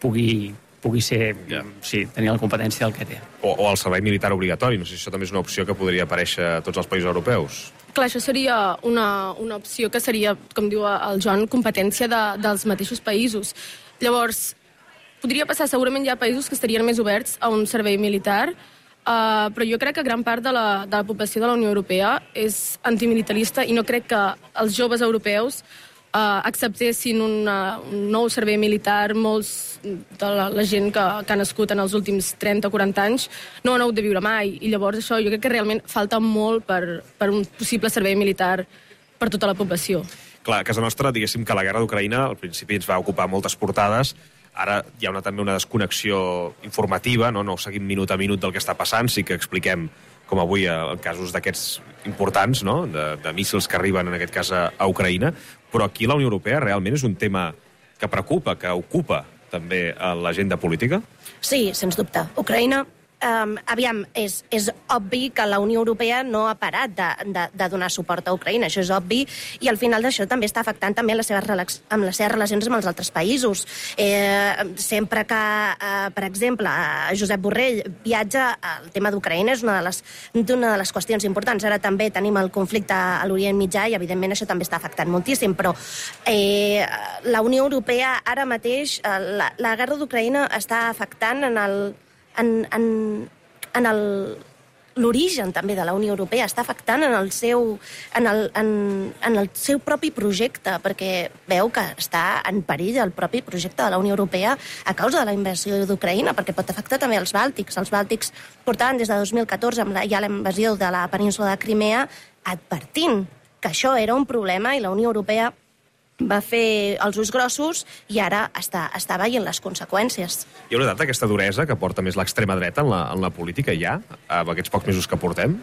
pugui pugui ser, yeah. sí, tenir la competència del que té. O, o el servei militar obligatori. No sé si això també és una opció que podria aparèixer a tots els països europeus. Clar, això seria una, una opció que seria, com diu el Joan, competència de, dels mateixos països. Llavors, podria passar, segurament hi ha països que estarien més oberts a un servei militar, uh, però jo crec que gran part de la, de la població de la Unió Europea és antimilitarista i no crec que els joves europeus Uh, acceptessin una, un nou servei militar. Molts de la, la gent que, que ha nascut en els últims trenta o quaranta anys no han hagut de viure mai, i llavors això jo crec que realment falta molt per, per un possible servei militar per tota la població. Clar, a casa nostra, diguéssim que la guerra d'Ucraïna al principi ens va ocupar moltes portades. Ara hi ha una, també una desconnexió informativa, no? No seguim minut a minut del que està passant, sí que expliquem, com avui en casos d'aquests importants, no? de, de míssils que arriben, en aquest cas, a, a Ucraïna, però aquí la Unió Europea realment és un tema que preocupa, que ocupa també a l'agenda política? Sí, sens dubte. Ucraïna, um, aviam, és, és obvi que la Unió Europea no ha parat de, de, de donar suport a Ucraïna, això és obvi, i al final d'això també està afectant també les seves, relax, amb les seves relacions amb els altres països. Eh, sempre que, eh, per exemple, Josep Borrell viatja, el tema d'Ucraïna és una de, les, una de les qüestions importants. Ara també tenim el conflicte a l'Orient Mitjà i, evidentment, això també està afectant moltíssim, però eh, la Unió Europea ara mateix, eh, la, la guerra d'Ucraïna està afectant en el en, en, en el l'origen també de la Unió Europea, està afectant en el seu, en el, en, en el seu propi projecte, perquè veu que està en perill el propi projecte de la Unió Europea a causa de la invasió d'Ucraïna, perquè pot afectar també els bàltics. Els bàltics portaven des de dos mil catorze, amb la, ja la invasió de la península de Crimea, advertint que això era un problema, i la Unió Europea va fer els ulls grossos i ara està, està veient les conseqüències. Hi ha notat aquesta duresa que porta més l'extrema dreta en la, en la política ja, amb aquests pocs mesos que portem?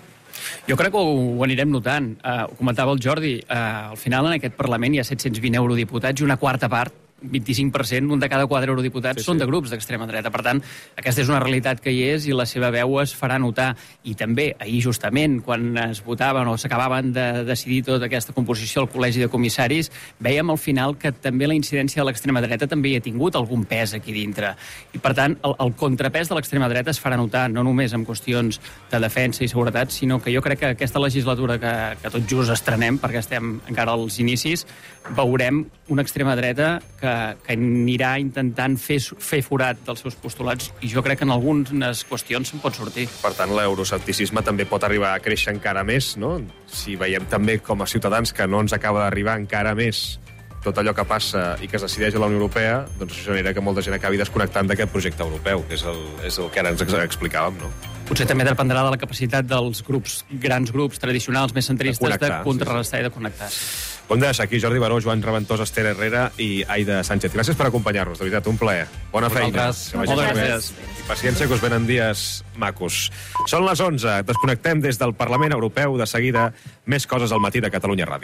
Jo crec que ho, ho anirem notant. Uh, ho comentava el Jordi, uh, al final en aquest Parlament hi ha set-cents vint eurodiputats i una quarta part vint-i-cinc per cent, un de cada quatre eurodiputats sí, sí. són de grups d'extrema dreta. Per tant, aquesta és una realitat que hi és i la seva veu es farà notar. I també, ahir justament, quan es votaven o s'acabaven de decidir tota aquesta composició al Col·legi de Comissaris, veiem al final que també la incidència de l'extrema dreta també hi ha tingut algun pes aquí dintre. I, per tant, el, el contrapès de l'extrema dreta es farà notar no només en qüestions de defensa i seguretat, sinó que jo crec que aquesta legislatura que, que tot just estrenem, perquè estem encara als inicis, veurem una extrema dreta que, que anirà intentant fer, fer forat dels seus postulats i jo crec que en algunes qüestions se'n pot sortir. Per tant, l'euroscepticisme també pot arribar a créixer encara més, no? Si veiem també com a ciutadans que no ens acaba d'arribar encara més tot allò que passa i que es decideix a la Unió Europea, doncs això genera que molta gent acabi desconnectant d'aquest projecte europeu, que és el, és el que ara ens explicàvem, no? Potser també dependrà de la capacitat dels grups, grans grups tradicionals, més centristes, de, de contrarrestar sí, sí. i de connectar. Ho hem de deixar aquí, Jordi Baró, Joan Reventós, Esther Herrera i Aida Sánchez. Gràcies per acompanyar-nos, de veritat, un plaer. Bona feina. Moltes gràcies. I paciència, que us venen dies macos. Són les onze, desconnectem des del Parlament Europeu. De seguida, més coses al matí de Catalunya Ràdio.